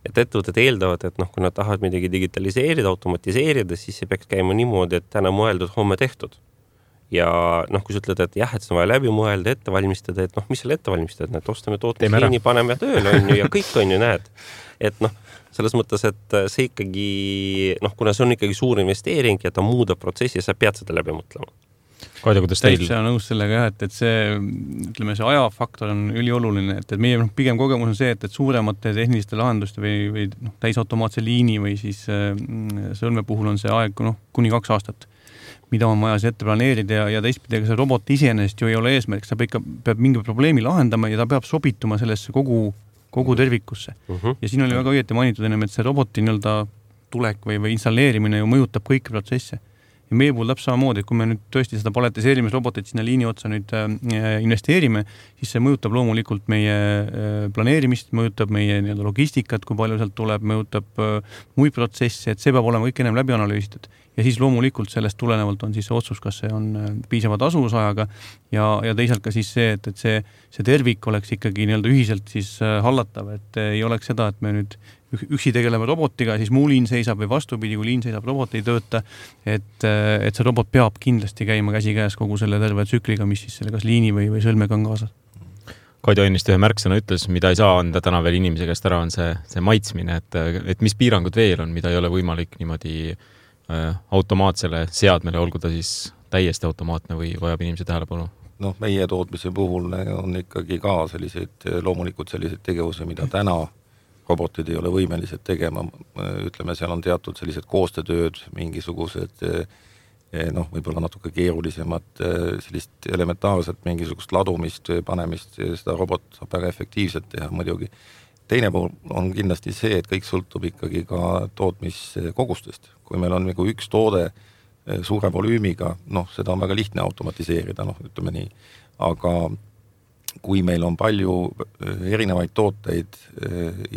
et ettevõtted eeldavad, et noh, kui nad tahavad midagi digitaliseerida, automatiseerida, siis see peaks käima niimoodi, et täna mõeldud, homme tehtud. Ja noh, kui sa ütled, et jah, et see on vaja läbi mõelda, ette valmistada, et noh, mis seal ette valmistada, et ostame tootmisliini, paneme tööle, on ju, ja kõik on ju, näed. Et noh, selles mõttes, et see ikkagi, noh, kuna see on ikkagi suur investeering ja ta muudab protsessi, sa pead seda läbi mõtlema. Kaide, kuidas teil? Täitsa nõus sellega jah, et, et see, ütleme, see ajafaktor on ülioluline, et, et meie noh, pigem kogemus on see, et, et suuremate tehniliste lahenduste või, või noh, täisautomaatse liini või siis äh, sõlme puhul on see aeg noh, kuni kaks aastat, mida on vaja see ette planeerida ja, ja teistpidi, see robot iseenesest ju ei ole eesmärk, ta ikka peab mingi probleemi lahendama ja ta peab sobituma sellesse kogu, kogu tervikusse. Uh-huh. Ja siin oli väga õieti mainitud ennem, et see roboti nii-öelda tulek või, või installeerimine ju mõjutab kõiki protsesse. Ja meie puhul täpselt samamoodi, et kui me nüüd tõesti seda paletiseerimisrobotit sinna liini otsa nüüd äh, investeerime, siis see mõjutab loomulikult meie äh, planeerimist, mõjutab meie nii-öelda logistikat, kui palju sealt tuleb, mõjutab äh, muid protsesse, et see peab olema kõik ennem läbi analüüsitud. Ja siis loomulikult sellest tulenevalt on siis see otsus, kas see on äh, piisava tasuvusajaga ja, ja teisalt ka siis see, et, et see, see tervik oleks ikkagi nii-öelda ühiselt siis äh, hallatav, et äh, ei oleks seda, et me nüüd üksi tegeleme robotiga, siis muu liin seisab või vastupidi, kui liin seisab, robot ei tööta, et, et see robot peab kindlasti käima käsi käes kogu selle terve tsükliga, mis siis selle kas liini või, või sõlmega on kaasas. Kaido ennist ühe märksõna ütles, mida ei saa anda täna veel inimese käest ära, on see, see maitsmine, et, et mis piirangud veel on, mida ei ole võimalik niimoodi äh, automaatsele seadmele, olgu ta siis täiesti automaatne või vajab inimese tähelepanu? Noh, meie tootmise puhul on ikkagi ka selliseid, loomulikult selliseid tegevuse, mida täna robotid ei ole võimelised tegema, ütleme, seal on teatud sellised koostööd, mingisugused noh, võib-olla natuke keerulisemad, sellist elementaarset mingisugust ladumist, panemist, seda robot saab väga efektiivselt teha muidugi. Teine pool on kindlasti see, et kõik sõltub ikkagi ka tootmiskogustest. Kui meil on nagu üks toode suure volüümiga, noh, seda on väga lihtne automatiseerida, noh, ütleme nii, aga kui meil on palju erinevaid tooteid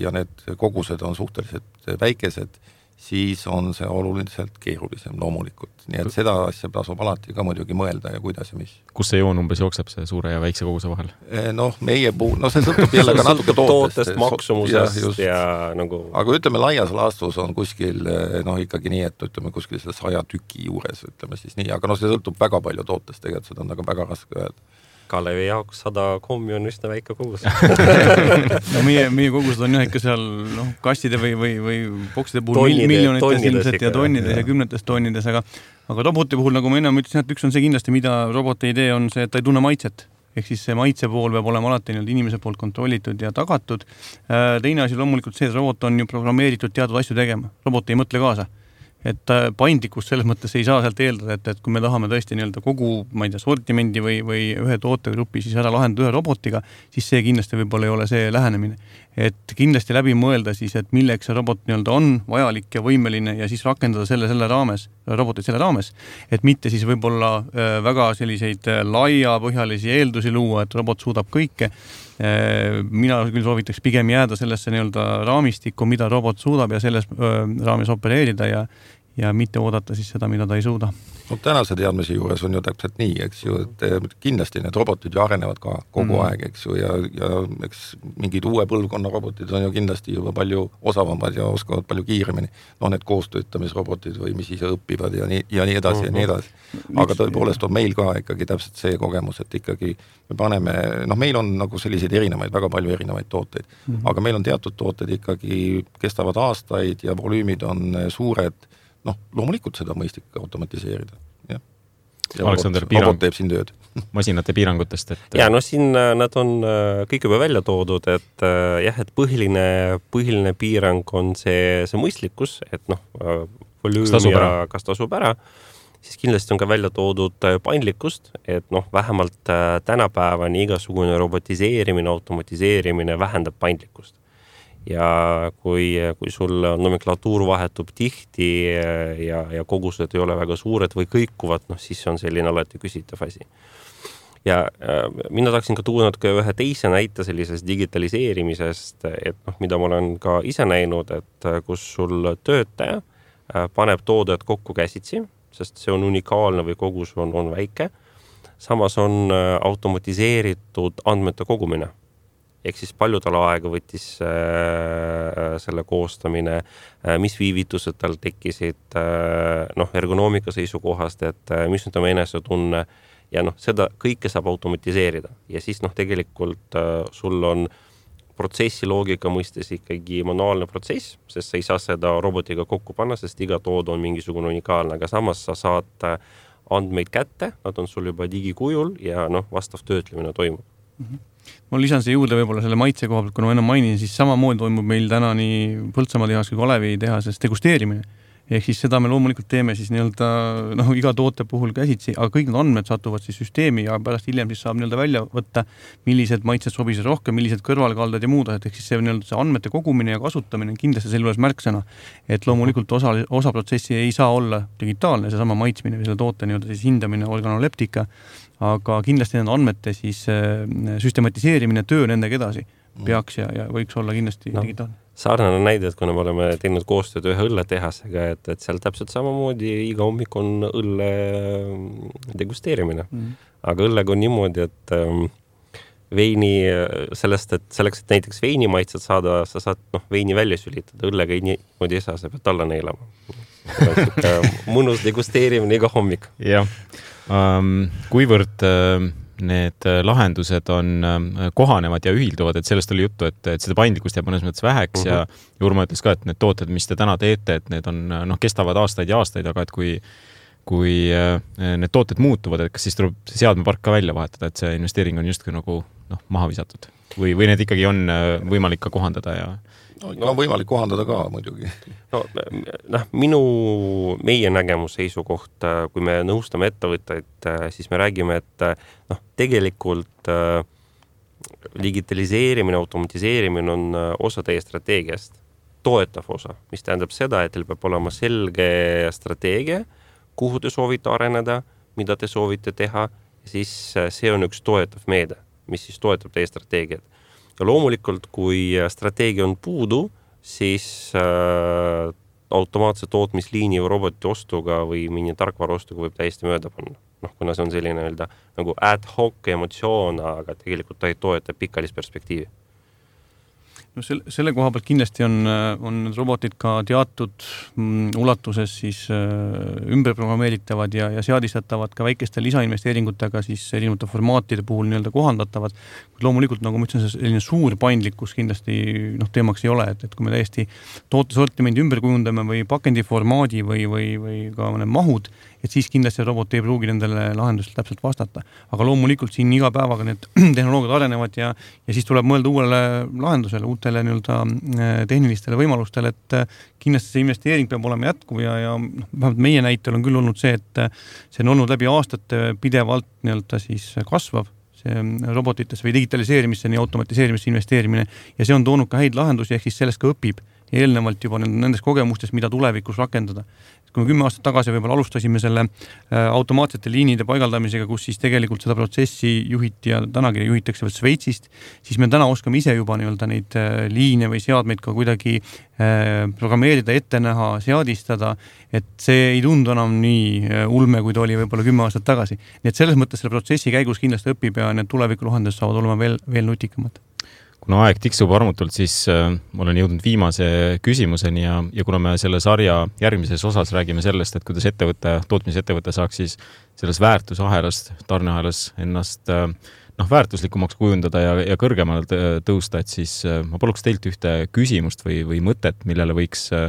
ja need kogused on suhteliselt väikesed, siis on see oluliselt keerulisem loomulikult. Nii et seda asja tasub alati ka muidugi mõelda ja kuidas ja mis. Kus see joon umbes jookseb see suure ja väikse koguse vahel? Noh, meie puhul, no see sõltub jälle ka natuke tootest. Tootest, maksumusest ja, ja nagu... Aga ütleme, laias laastus on kuskil, noh ikkagi nii, et ütleme kuskil selle saja tüki juures, ütleme siis nii, aga no see sõltub väga palju tootest, tegelikult seda on väga, väga raske öelda. Kalevi jaoks sada kommi on üsna väike kogus. no meie, meie kogused on jah ikka seal no, kastide või, või, või bokside puhul Tonnide, miljonites ilmselt ja tonnides ja, ja kümnetes tonnides, aga, aga roboti puhul, nagu ma ennem ütlesin, et üks on see kindlasti, mida roboti idee on see, et ta ei tunne maitset. Ehk siis see maitse pool peab olema alati inimese poolt kontrollitud ja tagatud. Teine asi loomulikult see, et robot on ju programmeeritud teatud asju tegema. Robot ei mõtle kaasa. Et paindlikkust selles mõttes ei saa sealt eeldada, et, et kui me tahame tõesti nii-öelda kogu, ma ei tea, sortimendi või, või ühe tootegrupi siis ära lahendada ühe robotiga, siis see kindlasti võib-olla ei ole see lähenemine. Et kindlasti läbi mõelda siis, et milleks see robot nii-öelda on vajalik ja võimeline ja siis rakendada selle, selle raames, robotit selle raames, et mitte siis võib-olla väga selliseid laiapõhjalisi eeldusi luua, et robot suudab kõike. Mina küll soovitaks pigem jääda sellesse nii-öelda raamistikku, mida robot suudab ja selles raames opereerida ja, ja mitte oodata siis seda, mida ta ei suuda. No tänase teadmise juures on ju täpselt nii, eks ju, et kindlasti need robotid ju arenevad ka kogu mm. aeg, eks ju, ja, ja eks mingid uue põlvkonna robotid on ju kindlasti juba palju osavamad ja oskavad palju kiiremini. No need koostöötamisrobotid või mis ise õpivad ja nii, ja nii edasi mm-hmm. ja nii edasi. Aga tõepoolest on meil ka ikkagi täpselt see kogemus, et ikkagi me paneme, noh meil on nagu selliseid erinevaid, väga palju erinevaid tooteid, mm-hmm. aga meil on teatud tooted ikkagi kestavad aastaid ja volüümid on suured. Noh, loomulikult seda mõistlik automatiseerida. Ja, ja Aleksander, robot, robot teeb siin tööd. Masinate piirangutest. Et... Ja, no siin nad on kõik juba välja toodud, et jah, et põhiline, põhiline piirang on see, see mõistlikkus, et noh, volüüm kas ja ära? kas tasub ära, siis kindlasti on ka välja toodud paindlikkust, et noh, vähemalt tänapäevani igasugune robotiseerimine, automatiseerimine vähendab paindlikkust. Ja kui, kui sul nomenklatuur vahetub tihti ja, ja kogused ei ole väga suured või kõikuvad, noh, siis on selline alati küsitav asi. Ja äh, mina tahaksin ka tuua ka ühe teise näite sellisest digitaliseerimisest, et noh, mida ma olen ka ise näinud, et kus sul töötaja äh, paneb toodet kokku käsitsi, sest see on unikaalne või kogus on, on väike. Samas on äh, automatiseeritud andmete kogumine. Ehk siis palju tal aega võttis äh, selle koostamine, äh, mis viivitused tal tekkisid äh, noh, ergonoomika seisukohast, et äh, mis on tema enesetunne ja noh, seda kõike saab automatiseerida. Ja siis noh, tegelikult äh, sul on protsessi loogika mõistes ikkagi manuaalne protsess, sest sa ei saa seda robotiga kokku panna, sest iga tood on mingisugune unikaalne, aga samas sa saad andmeid kätte, nad on sul juba digikujul ja noh, vastav töötlemine toimub. Mm-hmm. Ma lisan see juurde võib-olla selle maitse koha pealt, kuna ma enne mainin, siis samamoodi toimub meil täna nii Põltsamaa tehas kui Kalevi tehases degusteerimine. Ehk siis seda me loomulikult teeme siis nii-öelda noh, iga toote puhul käsitsi, aga kõik need andmed satuvad siis süsteemi ja pärast hiljem siis saab nii-öelda välja võtta, millised maitsed sobisid rohkem, millised kõrvalkaldad ja muud, et ehk siis see, nii-öelda see andmete kogumine ja kasutamine on kindlasti selle juures märksõna, et loomulikult osa, osa protsessi ei saa olla digitaalne, see sama maitsmine või selle toote nii-öelda siis hindamine organoleptika, aga kindlasti nende andmete siis süstematiseerimine, töö nendega edasi peaks ja, ja võiks olla kindlasti no. digitaalne. Sarnane näide, et kuna me oleme teinud koostööd ühe õlletehasega, et, et seal täpselt samamoodi iga hommik on õlle degusteerimine. Mm. Aga õllega on niimoodi, et ähm, veini sellest, et selleks, et näiteks veini maitsed saada, sa saad noh, veini välja sülitada, õllega ei niimoodi ei saa, sa pead alla neelama. Mõnus degusteerimine iga hommik. Jah, um, kuivõrd uh, need lahendused on kohanevad ja ühilduvad, et sellest oli juttu, et, et seda paindlikkust jääb mõnes mõttes väheks uh-huh. ja Jurma ütles ka, et need tooted, mis te täna teete, et need on, noh, kestavad aastaid ja aastaid, aga et kui, kui need tooted muutuvad, et kas siis tuleb see seadmepark ka välja vahetada, et see investeering on justkui nagu noh, maha visatud või, või need ikkagi on võimalik ka kohandada ja no, no, on võimalik kohandada ka muidugi. No, noh, minu, meie nägemus seisukoht, kui me nõustame ettevõtteid, siis me räägime, et noh, tegelikult digitaliseerimine, automatiseerimine on osa teie strateegiast, toetav osa, mis tähendab seda, et teil peab olema selge strateegia, kuhu te soovite areneda, mida te soovite teha, siis see on üks toetav meede, mis siis toetab teie strateegiat. Ja loomulikult, kui strateegia on puudu, siis äh, automaatse tootmisliini või roboti ostuga või mingi tarkvara ostuga võib täiesti mööda panna. Noh, kuna see on selline öelda, nagu ad hoc emotsioon, aga tegelikult ta ei toeta pikaajalist perspektiivi. No selle, selle koha pealt kindlasti on, on robotid ka teatud mm, ulatuses siis äh, ümberprogrammeeritavad ja, ja seadistatavad ka väikeste lisainvesteeringutega siis erinevate formaatide puhul nii-öelda kohandatavad. Loomulikult, nagu ma ütlen, selline suur paindlikkus kindlasti noh, teemaks ei ole, et, et kui me täiesti tootesortimendi ümber kujundame või pakendiformaadi või, või, või ka need mahud, et siis kindlasti robot ei pruugi nendele lahendusele täpselt vastata. Aga loomulikult siin iga päevaga need tehnoloogiad arenevad ja, ja siis tuleb mõelda uuele lahendusele, uutele nii-öelda tehnilistele võimalustele, et kindlasti see investeering peab olema jätkuv ja, ja noh, meie näitel on küll olnud see, et see on olnud läbi aastate pidevalt nii-öelda siis kasvav see robotitesse või digitaliseerimisse, nii automatiseerimisse investeerimine ja see on toonud ka häid lahendusi, ehk siis sellest ka õpib. eelnevalt juba nendest kogemustest, mida tulevikus rakendada. Kui me kümme aastat tagasi võib-olla alustasime selle automaatsete liinide paigaldamisega, kus siis tegelikult seda protsessi juhiti ja tänagi juhitakse veel Sveitsist, siis me täna oskame ise juba nii-öelda neid liine või seadmeid ka kuidagi programmeerida, ette näha, seadistada, et see ei tundu enam nii ulme, kui ta oli võib-olla kümme aastat tagasi. Nii et selles mõttes selle protsessi käigus kindlasti õpib ja need tulevikulahendused saavad olema veel, veel nutikamad. Kuna aeg tiksub armutult, siis äh, olen jõudnud viimase küsimuseni ja, ja kuna me selle sarja järgmises osas räägime sellest, et kuidas ettevõte, tootmisettevõte saaks siis selles väärtusahelast, tarneahelas ennast äh, noh, väärtuslikumaks kujundada ja, ja kõrgemale tõusta, et siis äh, ma paluks teilt ühte küsimust või, või mõtet, millele võiks äh,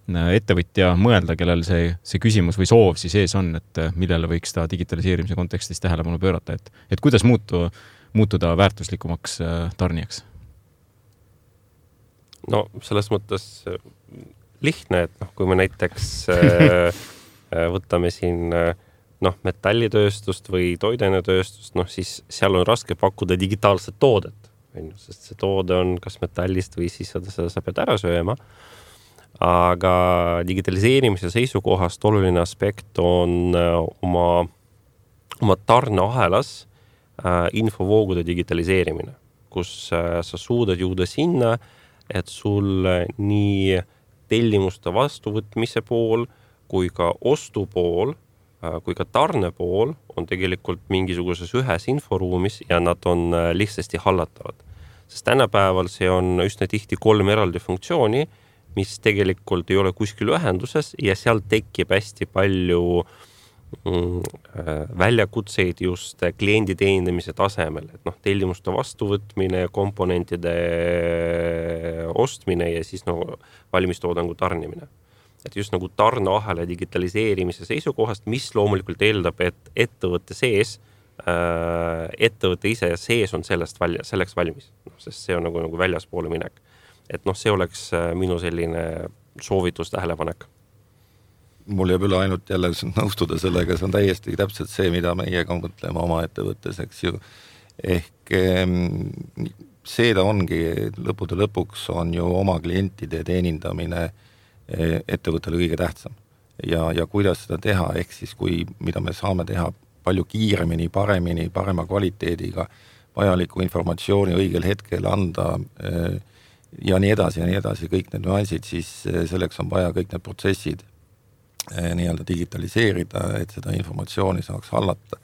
ettevõtja mõelda, kellel see, see küsimus või soov siis ees on, et äh, millele võiks ta digitaliseerimise kontekstis tähelepanu pöörata, et, et kuidas muutu, muutuda väärtuslikumaks äh, tarnijaks? No selles mõttes lihtne, et noh, kui me näiteks äh, võtame siin noh, metallitööstust või toidenetööstust, noh siis seal on raske pakkuda digitaalset toodet, sest see toode on kas metallist või siis seda, seda sa pead ära sööma. Aga digitaliseerimise seisukohast oluline aspekt on oma, oma tarneahelas äh, infovoogude digitaliseerimine, kus äh, sa suudad jõuda sinna, et sul nii tellimuste vastuvõtmise pool kui ka ostu pool, kui ka tarne pool on tegelikult mingisuguses ühes inforuumis ja nad on lihtsasti hallatavad. Sest tänapäeval see on üsna tihti kolm eraldi funktsiooni, mis tegelikult ei ole kuskil ühenduses ja seal tekib hästi palju väljakutseid just kliendi teenindamise tasemel, et noh, tellimuste vastuvõtmine, komponentide ostmine ja siis no, valmistoodangu tarnimine. Et just nagu tarneahela digitaliseerimise seisukohast, mis loomulikult eeldab, et ettevõtte sees, ettevõtte ise sees on sellest valja, selleks valmis, no, sest see on nagu, nagu väljaspoole minek. Et noh, see oleks minu selline soovitus tähelepanek. Mul jääb üle ainult jälle nõustuda sellega, see on täiesti täpselt see, mida meie ka mõtleme oma ettevõttes, eks ju. Ehk see ta ongi, lõpude lõpuks on ju oma klientide teenindamine ettevõttele kõige tähtsam. Ja, ja kuidas seda teha, ehk siis kui, mida me saame teha palju kiiremini, paremini, parema kvaliteediga, vajaliku informatsiooni õigel hetkel anda ja nii edasi ja nii edasi, kõik need nüansid, siis selleks on vaja kõik need protsessid nii-öelda digitaliseerida, et seda informatsiooni saaks hallata.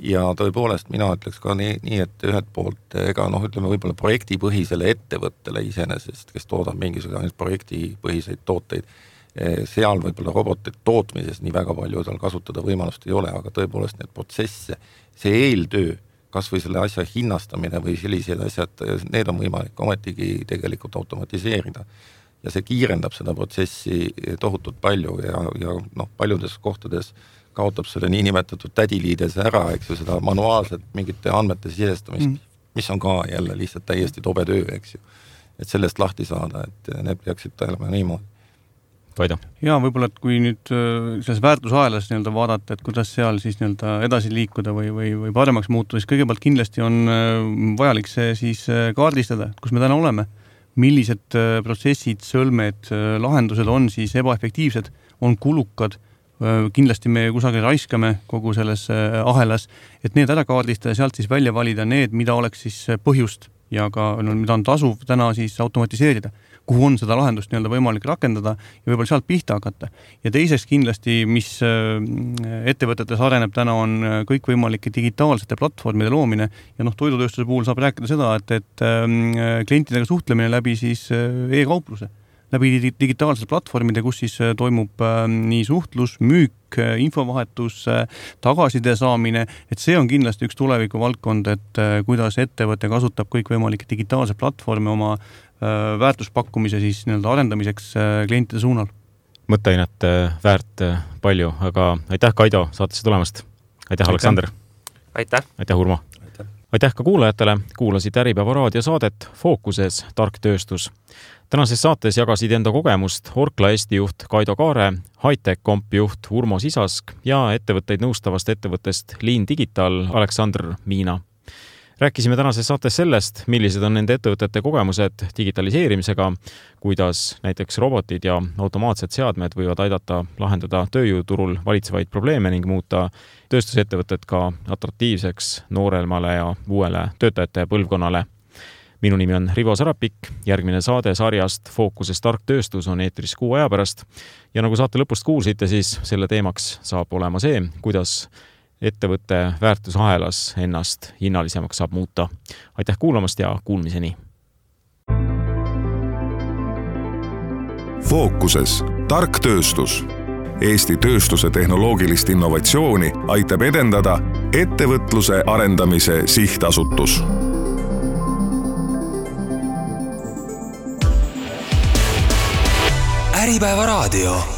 Ja tõepoolest mina ütleks ka nii, nii et ühed poolt, ega noh, ütleme võib-olla projektipõhisele ettevõttele iseenesest, kes toodab mingisugune projektipõhiseid tooteid, seal võib-olla robotid tootmises nii väga palju tal kasutada võimalust ei ole, aga tõepoolest need protsesse, see eeltöö, kas või selle asja hinnastamine või sellised asjad, need on võimalik ometigi tegelikult automatiseerida. Ja see kiirendab seda protsessi tohutult palju ja, ja noh, paljudes kohtades kaotab selle niinimetatud tädiliides ära, eks ju, seda manuaalset mingite andmete sisestamist, mm. mis on ka jälle lihtsalt täiesti tobe töö, eks ju. Et sellest lahti saada, et need peaksid olema niimoodi. Kaido? Ja võib-olla, et kui nüüd selles väärtusahelas nii-öelda vaadata, et kuidas seal siis nii-öelda edasi liikuda või, või, või paremaks muutuda, siis kõigepealt kindlasti on vajalik see siis kaardistada, kus me täna oleme. Millised protsessid, sõlmed, lahendused on siis ebaefektiivsed, on kulukad, kindlasti me kusagil raiskame kogu selles ahelas, et need ära kaardistada ja sealt siis välja valida need, mida oleks siis põhjust ja ka no, mida on tasuv täna siis automatiseerida, kuhu on seda lahendust nii-öelda võimalik rakendada ja võib-olla sealt pihta hakata. Ja teiseks kindlasti, mis ettevõtetes areneb täna, on kõik võimalike digitaalsete platvormide loomine ja noh, toidutööstuse puhul saab rääkida seda, et, et klientidega suhtlemine läbi siis e-kaupluse, läbi digitaalsete platvormide, kus siis toimub nii suhtlus, müük, infovahetus, tagasiside saamine, et see on kindlasti üks tuleviku valdkond, et kuidas ettevõte kasutab kõik võimalikke digitaalseid platvorme oma väärtuspakkumise siis nii-öelda arendamiseks klientide suunal. Mõtteainet väärt palju, aga aitäh Kaido saatesse tulemast. Aitäh Aleksander. Aitäh. Aitäh Urmo. Aitäh. Aitäh ka kuulajatele. Kuulasid Äripäeva raadiosaadet Fookuses tark tööstus. Tänases saates jagasid enda kogemust Orkla Eesti juht Kaido Kaare, Hightech Comp juht Urmo Sisask ja ettevõtteid nõustavast ettevõttest Lean Digital Aleksander Miina. Rääkisime tänases saates sellest, millised on nende ettevõtete kogemused digitaliseerimisega, kuidas näiteks robotid ja automaatsed seadmed võivad aidata lahendada tööjõuturul valitsevaid probleeme ning muuta tööstusettevõtted ka atraktiivseks nooremale ja uuele töötajate põlvkonnale. Minu nimi on Rivo Sarapik, järgmine saade sarjast Fookuses tark tööstus on eetris kuu aja pärast ja nagu saate lõpust kuulsite, siis selle teemaks saab olema see, kuidas ettevõtte väärtusahelas ennast hinnalisemaks saab muuta. Aitäh kuulamast ja kuulmiseni! Fookuses tark tööstus. Eesti tööstuse tehnoloogilist innovatsiooni aitab edendada Ettevõtluse arendamise sihtasutus. Äripäeva raadio.